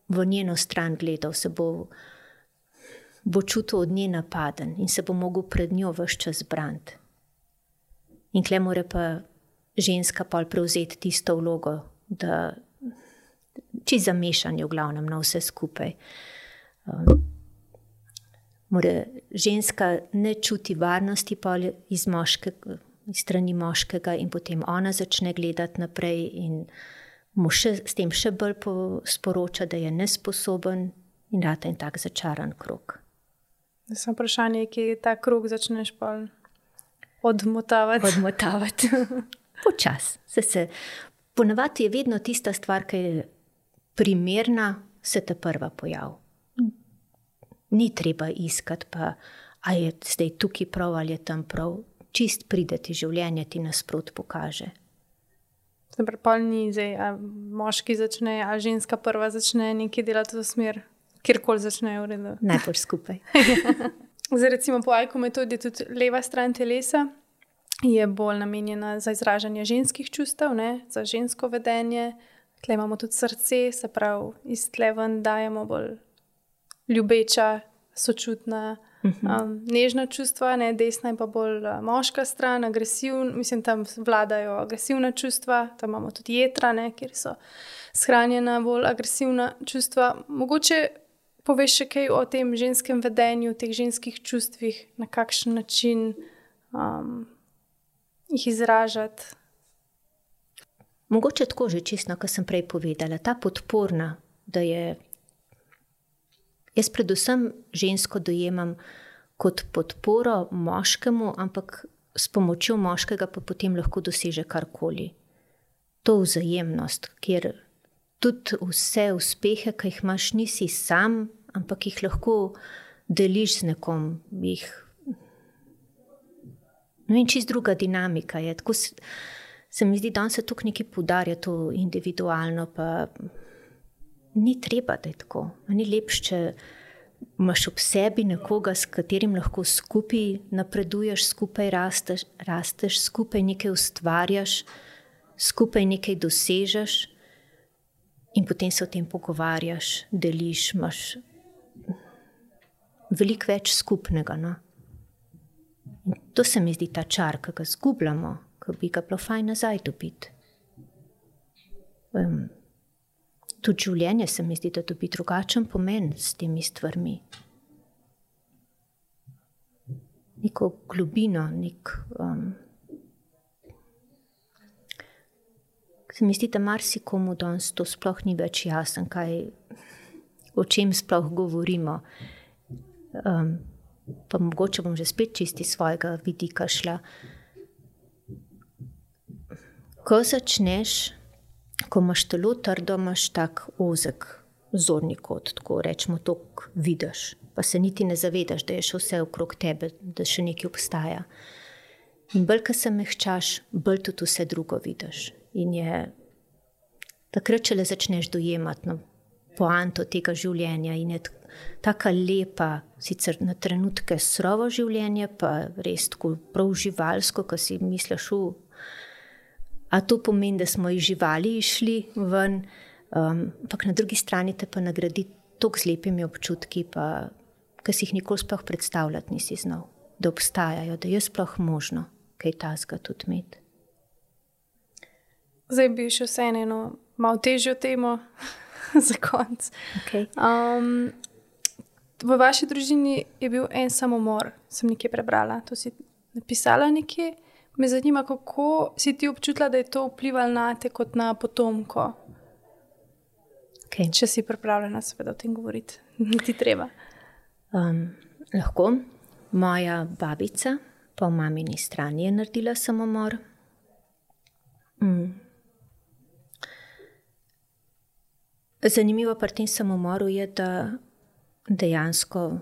Speaker 2: v njeno stran gledal, se bo čutil od nje napaden in se bo mogel pred njo ves čas braniti. In kle mora pa ženska pol prevzeti tisto vlogo, da čisto zamešanje v glavnem na vse skupaj. Mora ženska ne čuti varnosti pol iz strani moškega in potem ona začne gledati naprej in mu s tem še bolj sporoča, da je nesposoben in rata in tak začaran krog.
Speaker 1: Samo vprašanje, kje ta krog začneš pol odmotavati.
Speaker 2: Odmotavati. Počas. Ponavadi je vedno tista stvar, ki je primerna, se te prva pojavi. Ni treba iskati pa, a je zdaj tukaj prav ali je tam prav. Čist pride ti življenje, ti nasprot pokaže.
Speaker 1: Pol ni zdaj, a moški začne, a ženska prva začne nekaj delati v smer, kjerkoli začne v redu.
Speaker 2: Najbolj skupaj.
Speaker 1: Zdaj recimo po AIKU metodi tudi leva stran telesa je bolj namenjena za izražanje ženskih čustev, ne? Za žensko vedenje. Tle imamo tudi srce, se pravi, iz tle ven dajemo bolj ljubeča, sočutna, nežna čustva, ne? Desna je pa bolj moška stran, agresivna, mislim, tam vladajo agresivna čustva, tam imamo tudi jetra, ne? Kjer so shranjena bolj agresivna čustva. Mogoče poveš še kaj o tem ženskem vedenju, teh ženskih čustvih, na kakšen način jih izražati?
Speaker 2: Mogoče tako že čisto, kot sem prej povedala, ta podporna, da je. Jaz predvsem žensko dojemam kot podporo moškemu, ampak s pomočjo moškega pa potem lahko doseže karkoli. To vzajemnost, kjer tudi vse uspehe, ki jih imaš, nisi sam, ampak jih lahko deliš z nekom. No in čist druga dinamika je. Tako se mi zdi, da se tukaj nekaj poudarja to individualno, pa ni treba, da je tako. Ni lepše, če imaš ob sebi nekoga, s katerim lahko skupaj napreduješ, skupaj rasteš, skupaj nekaj ustvarjaš, skupaj nekaj dosežeš in potem se o tem pogovarjaš, deliš, imaš veliko več skupnega. No? In to se mi zdi ta čar, ki ga zgubljamo, ki bi ga bilo fajn nazaj dobiti. Tudi življenje se mi zdi, da dobi drugačen pomen s temi stvarmi. Neko globino, se mi zdi, da marsikomu danes to sploh ni več jasen, o čem sploh govorimo. Pa mogoče bom že spet čisti svojega vidika šla. Ko začneš, ko imaš telo trdo, imaš tak ozek zorni kot, tako rečemo, toliko vidiš, pa se niti ne zavedaš, da je še vse okrog tebe, da še nekaj obstaja. In bolj, ko se mehčaš, bolj tudi vse drugo vidiš. In je takrat, če le začneš dojemati poanto tega življenja in je taka lepa, sicer na trenutke surovo življenje, pa res tako prav živalsko, ko si misliš, a to pomeni, da smo iz živali išli ven, ampak na drugi strani te pa nagradi toliko z lepimi občutki, pa ki si jih nikoli sploh predstavljati nisi znal, da obstajajo, da je sploh možno kaj takega tudi imeti.
Speaker 1: Zdaj bi še vseeno malo težjo temo za konec.
Speaker 2: Okay.
Speaker 1: V vaši družini je bil en samomor, sem nekje prebrala, to si napisala nekje. Me zanima, kako si ti občutila, da je to vplivalo na te kot na potomko.
Speaker 2: Okay.
Speaker 1: Če si pripravljena seveda o tem govoriti. Ti treba.
Speaker 2: Lahko. Moja babica po mamini strani je naredila samomor. Zanimivo pri tem samomoru je, da dejansko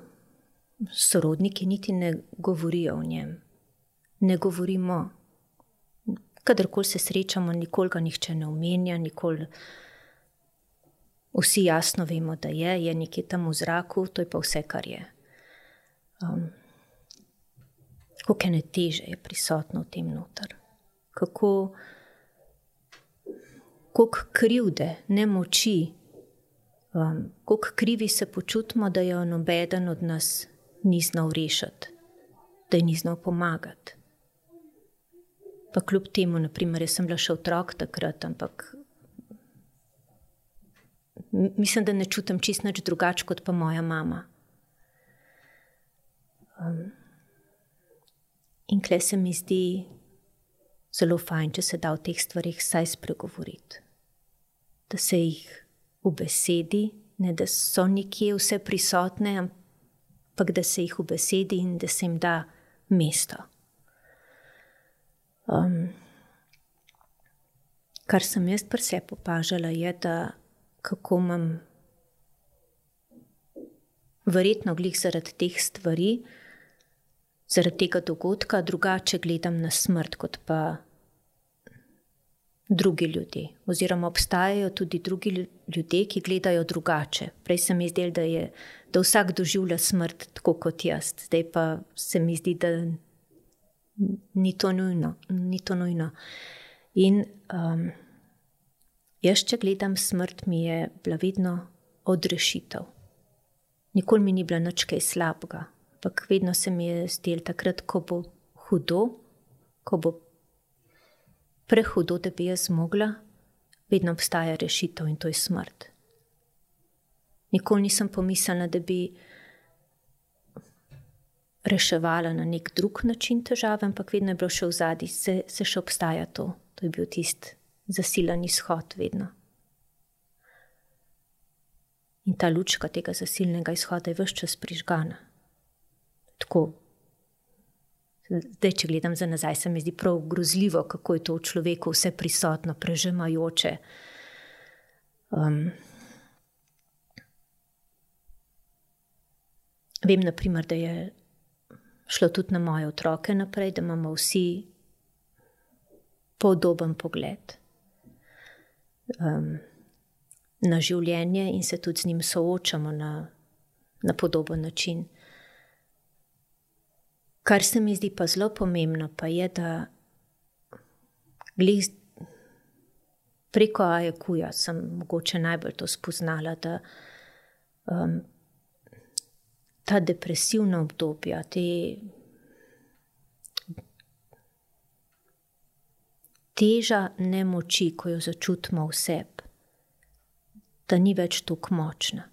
Speaker 2: sorodniki niti ne govorijo o njem. Ne govorimo, kadarkoli se srečamo, nikoli ga nihče ne omenja, nikoli. Vsi jasno vemo, da je nekje tam v zraku, to je pa vse, kar je. Koliko ene teže je prisotno v tem noter. Koliko krivde, nemoči, koliko krivi se počutimo, da jo nobeden od nas ni znal rešiti, da ji ni znal pomagati. Pa kljub temu, naprimer, jaz sem bila še otrok takrat, ampak mislim, da ne čutim čisto nič drugače kot pa moja mama. In kle se mi zdi zelo fajn, če se da v teh stvarih vsaj spregovoriti. Da se jih ubesedi, ne da so nekje vse prisotne, ampak da se jih ubesedi in da se jim da mesto. Kar sem jaz pri sebi opažala je, da kako imam verjetno glih zaradi teh stvari, zaradi tega dogodka drugače gledam na smrt kot pa drugi ljudje. Oziroma obstajajo tudi drugi ljudje, ki gledajo drugače. Prej se mi zdelo, da vsak doživlja smrt tako kot jaz. Zdaj pa se mi zdi, da ni to nujno. In jaz, če gledam smrt, mi je bila vedno odrešitev. Nikoli mi ni bila nič kaj slabega, ampak vedno se mi je zdelo takrat, ko bo hudo, ko bo prehudo, da bi jaz mogla, vedno obstaja rešitev in to je smrt. Nikoli nisem pomislila, da bi reševala na nek drug način težave, ampak vedno je bilo še v zadnji, se še obstaja to. To je bil tisti zasilan izhod vedno. In ta lučka tega zasilnega izhoda je ves čas prižgana. Tako. Zdaj, če gledam za nazaj, se mi zdi prav grozljivo, kako je to v človeku vse prisotno, prežemajoče. Vem, naprimer, da je šlo tudi na moje otroke naprej, da imamo vsi podoben pogled na življenje in se tudi z njim soočamo na podoben način. Kar se mi zdi pa zelo pomembno, pa je, da glih preko AEQ-ja sem mogoče najbolj to spoznala, da ta depresivna obdobja, teža nemoči, ko jo začutimo v sebi, da ni več tako močna.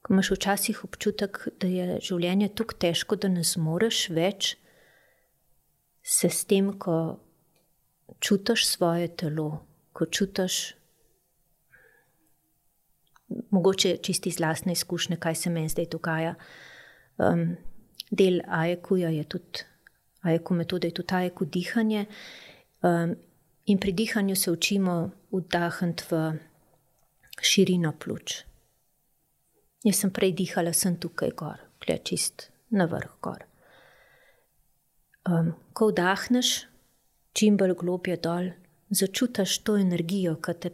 Speaker 2: Ko imaš včasih občutek, da je življenje tako težko, da ne zmoreš več, se s tem, ko čutiš svoje telo, ko čutiš, mogoče čisti iz lastne izkušnje, kaj se meni zdaj dogaja. Del AEQ-ja je tudi, AEQ metode je tudi AEQ dihanje. In pri dihanju se učimo vdahniti v širino pljuč. Jaz sem prej dihala, sem tukaj gor, čist na vrh gor. Ko vdahneš, čim bolj globje dol, začutiš to energijo, ki te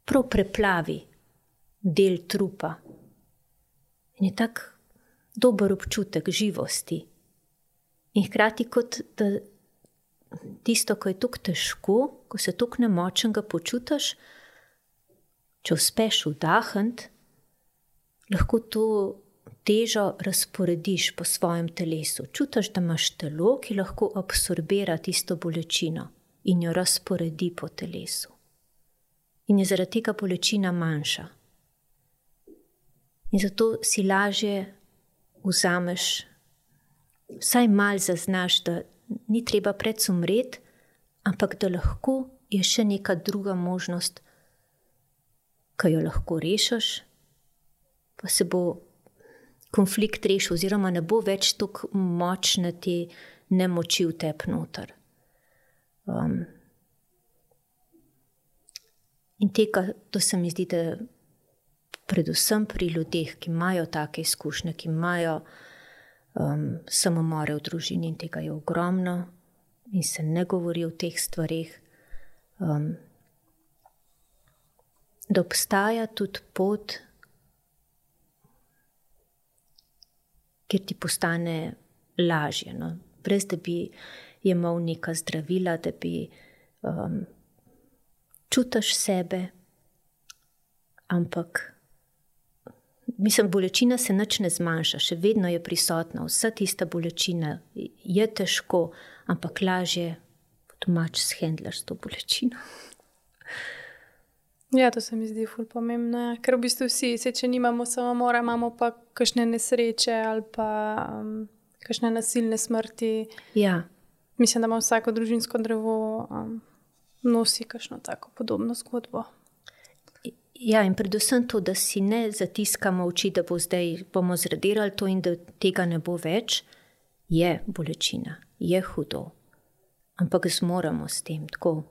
Speaker 2: prav preplavi del trupa. In je tak dober občutek živosti. In hkrati kot da tisto, ko je tako težko, ko se tako nemočnega počutiš, če uspeš vdahniti, lahko to težo razporediš po svojem telesu. Čutiš, da imaš telo, ki lahko absorbira tisto bolečino in jo razporedi po telesu. In je zaradi tega bolečina manjša. In zato si lažje vzameš, vsaj malo zaznaš, da ni treba predsumreti, ampak da lahko je še neka druga možnost, ki jo lahko rešiš, pa se bo konflikt rešil, oziroma ne bo več tako močne te nemoči v tebi noter. In tega, to se mi zdi, da predvsem pri ljudeh, ki imajo take izkušnje, ki imajo samomore v družini, in tega je ogromno in se ne govori o teh stvarih, da obstaja tudi pot, kjer ti postane lažje, no? Brez da bi jemal neka zdravila, da bi čutiš sebe, ampak mislim, bolečina se nič ne zmanjša, še vedno je prisotna, vsa tista bolečina je težko, ampak lažje domač shendlaš to bolečino.
Speaker 1: Ja, to se mi zdi ful pomembno, ja. Ker v bistvu vsi, če nimamo samomora, imamo pa kakšne nesreče ali pa kakšne nasilne smrti.
Speaker 2: Ja.
Speaker 1: Mislim, da ima vsako družinsko drevo nosi kakšno tako podobno zgodbo.
Speaker 2: Ja, in predvsem to, da si ne zatiskamo oči, da bomo zradirali to in da tega ne bo več, je bolečina, je hudo. Ampak zmoremo s tem, tako.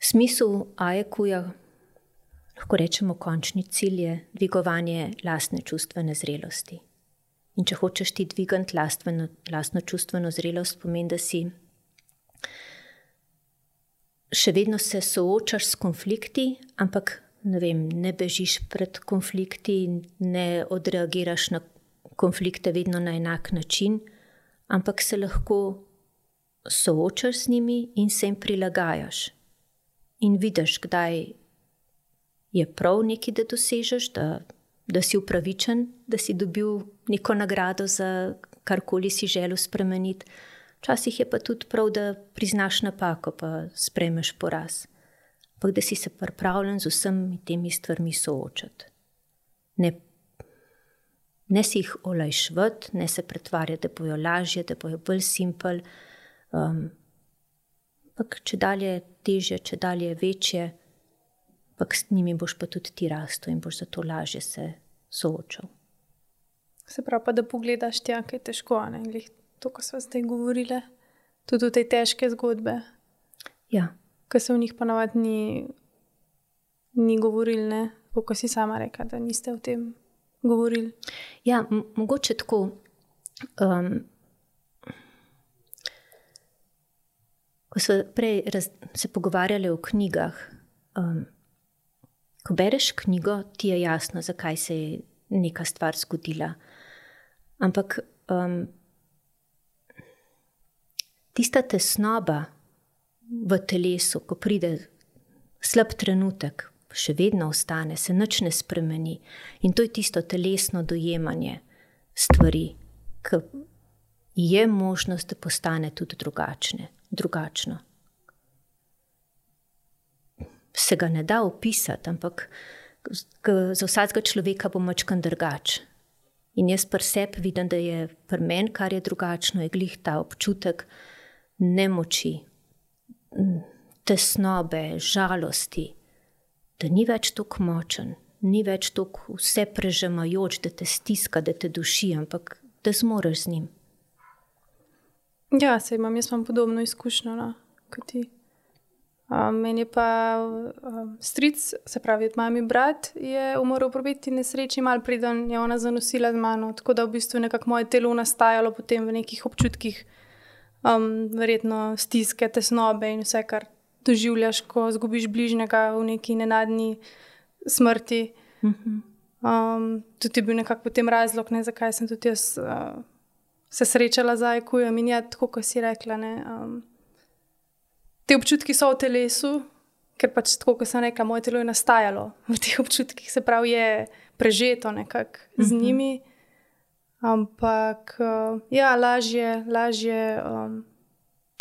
Speaker 2: Smisel AEQ-ja, lahko rečemo, končni cilj je dvigovanje lastne čustvene zrelosti. In če hočeš ti dvigati lastno čustveno zrelost, pomeni, da si še vedno se soočaš s konflikti, ampak ne bežiš pred konflikti, ne odreagiraš na konflikte vedno na enak način, ampak se lahko soočaš z njimi in se jim prilagajaš. In vidiš, kdaj je prav nekaj, da dosežeš, da si upravičen, da si dobil neko nagrado za karkoli si želel spremeniti. Včasih je pa tudi prav, da priznaš napako, pa sprejmeš poraz. Ampak da si se pripravljen z vsemi temi stvarmi soočati. Ne si jih olajšvati, ne se pretvarjati, da bojo lažje, da bojo bolj simpel. Ampak če dalje težje, če dalje večje, ampak s njimi boš pa tudi ti rastel in boš zato lažje se soočal.
Speaker 1: Se pravi pa, da pogledaš tja, kaj je težko, ne? Glih to, ko sva zdaj govorile, tudi v tej težke zgodbe.
Speaker 2: Ja.
Speaker 1: Ko se v njih pa navad ni govorili, ne? Kako si sama rekla, da niste o tem govorili.
Speaker 2: Ja, mogoče tako. Ko smo prej se pogovarjali o knjigah, ko bereš knjigo, ti je jasno, zakaj se je neka stvar zgodila. Ampak tista tesnoba v telesu, ko pride slab trenutek, še vedno ostane, se nič ne spremeni. In to je tisto telesno dojemanje stvari, ki je možnost, da postane tudi drugačno. Se ga ne da opisati, ampak za vsakega človeka bo mačkan drugač. In jaz pri sebi vidim, da je pri meni, kar je drugačno, je glih ta občutek nemoči, tesnobe, žalosti, da ni več toliko močen, ni več toliko vse prežemajoč, da te stiska, da te duši, ampak da zmoreš z njim.
Speaker 1: Ja, jaz imam podobno izkušnjo, no, kot ti. Meni je pa stric, se pravi, od mami brat, je umrl v prometni nesreči, malo preden je ona zanosila z mano, tako da v bistvu nekako moje telo nastajalo potem v nekih občutkih, verjetno stiske, tesnobe in vse, kar doživljaš, ko zgubiš bližnjega v neki nenadni smrti. Tudi je bil nekako potem razlog, ne, zakaj sem tudi jaz se srečala z AEQ-jem in ja, tako, ko si rekla, ne, te občutki so v telesu, ker pač tako, ko sem rekla, moje telo je nastajalo v teh občutkih, se pravi, je prežeto nekako z njimi, ampak ja, lažje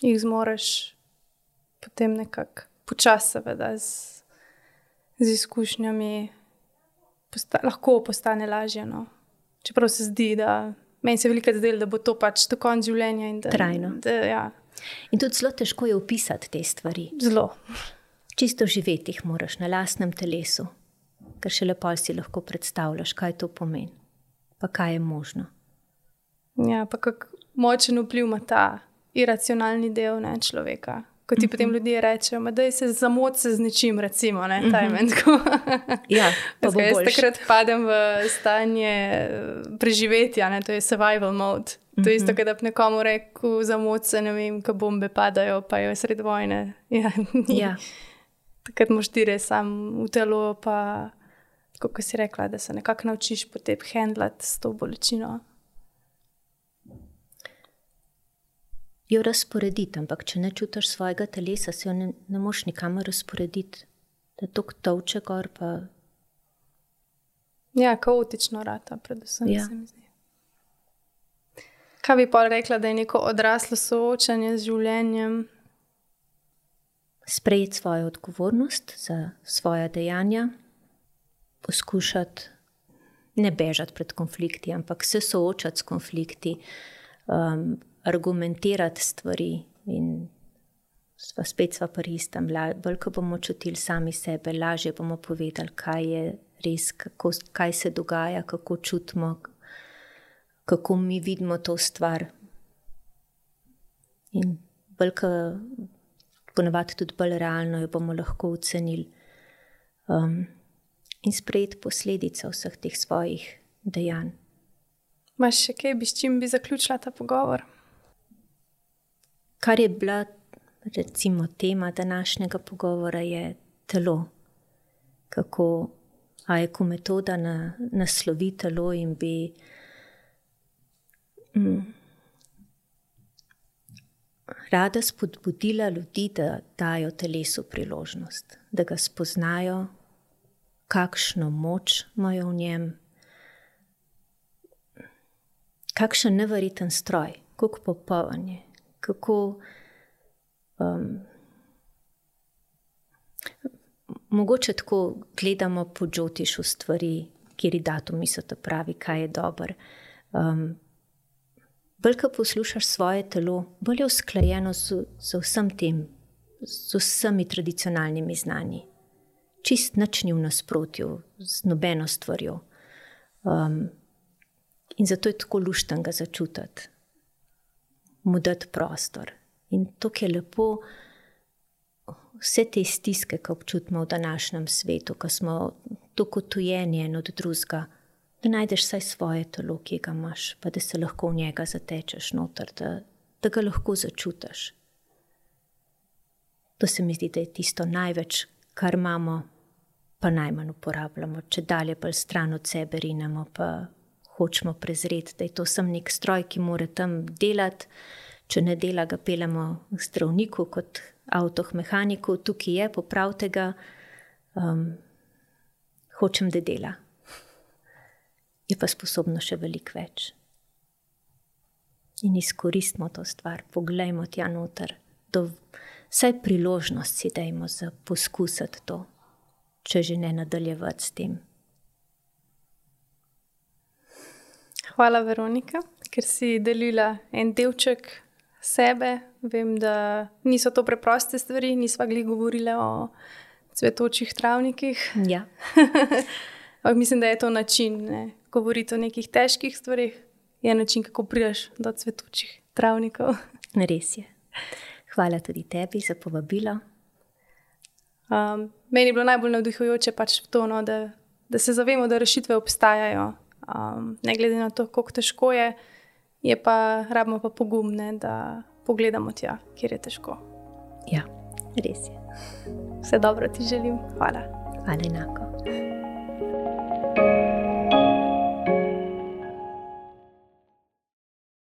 Speaker 1: jih zmoreš potem nekako počasi, seveda, z izkušnjami lahko postane lažje, no. Čeprav se zdi, da meni se veliko zdelo, da bo to pač do konca življenja in da
Speaker 2: trajno.
Speaker 1: Ja.
Speaker 2: In tudi zelo težko je opisati te stvari.
Speaker 1: Zelo.
Speaker 2: Čisto živeti jih moraš na lastnem telesu, ker šele pol si lahko predstavljaš, kaj to pomeni, pa kaj je možno.
Speaker 1: Ja, pa kako močen vpliv ima ta iracionalni del, ne, človeka. Ko ti potem ljudje rečejo, da se zamot se z nečim, recimo, ne, tajmensko.
Speaker 2: Ja, pa bo
Speaker 1: jaz
Speaker 2: boljše.
Speaker 1: takrat padem v stanje preživetja, ne, to je survival mode. To je isto, da bi nekomu rekel zamot se, ne vem, ko bombe padajo, pa je sred vojne. Ja. Takrat moš ti res sam v telo, pa kako si rekla, da se nekako naučiš potem handlati s to bolečino.
Speaker 2: Jo razporediti, ampak če ne čutiš svojega telesa, se jo ne moš nikamor razporediti. Da tok tovče gor pa...
Speaker 1: Ja, kaotično rata, predvsem se mi zdi. Kaj bi pa rekla, da je neko odraslo soočanje z življenjem?
Speaker 2: Sprejeti svojo odgovornost za svoja dejanja, poskušati ne bežati pred konflikti, ampak se soočati s konflikti, argumentirati stvari in spet sva pri istem. Bolj, ko bomo čutili sami sebe, lažje bomo povedali, kaj je res, kaj se dogaja, kako čutimo, kako mi vidimo to stvar. In bolj, ko ponavadi tudi bolj realno jo bomo lahko ocenili in sprejeti posledice vseh teh svojih dejanj.
Speaker 1: Imaš še kaj, s čim bi zaključila ta pogovor?
Speaker 2: Kar je bila, recimo, tema današnjega pogovora je telo. Kako AEQ metoda naslovi telo in bi rada spodbudila ljudi, da dajo telesu priložnost, da ga spoznajo, kakšno moč imajo v njem, kakšen neverjeten stroj, kako popoln je, kako mogoče tako gledamo po Džotišu stvari, kjeri datumi so to pravi, kaj je dober. Bolj, ko poslušaš svoje telo, bolj je usklajeno z vsem tem, z vsemi tradicionalnimi znanji. Čist nič ni v nasprotju z nobeno stvarjo. In zato je tako luštno ga začutiti, mu dati prostor. In to je lepo, vse te stiske, ko občutimo v današnjem svetu, ko smo tako tujeni en od drugega, da najdeš vsaj svoje telo, ki ga imaš, pa da se lahko v njega zatečeš noter, da ga lahko začutiš. To se mi zdi, da je tisto največ, kar imamo, pa najmanj uporabljamo. Če dalje bolj stran od sebe rinemo, pa hočemo prezreti, da je to sem nek stroj, ki mora tam delati. Če ne dela, ga peljemo k zdravniku kot avtomehaniku, tukaj je, popravite ga, hočem, da dela. Je pa sposobno še veliko več. In izkoristimo to stvar, poglejmo tja noter, vsaj priložnost si dajmo za poskusiti to, če že ne nadaljevati s tem.
Speaker 1: Hvala, Veronika, ker si delila en delček sebe. Vem, da niso to preproste stvari, nisva glih govorile o cvetočih travnikih.
Speaker 2: Ja.
Speaker 1: Mislim, da je to način, ne? Govoriti o nekih težkih stvarih, je način, kako prideš do cvetočih travnikov.
Speaker 2: Res je. Hvala tudi tebi za povabilo.
Speaker 1: Meni je bilo najbolj navdihujoče pač to, no, da se zavemo, da rešitve obstajajo. Ne glede na to, koliko težko je pa, rabimo pa pogumne, da pogledamo tja, kjer je težko.
Speaker 2: Ja, res je.
Speaker 1: Vse dobro ti želim. Hvala.
Speaker 2: Hvala enako.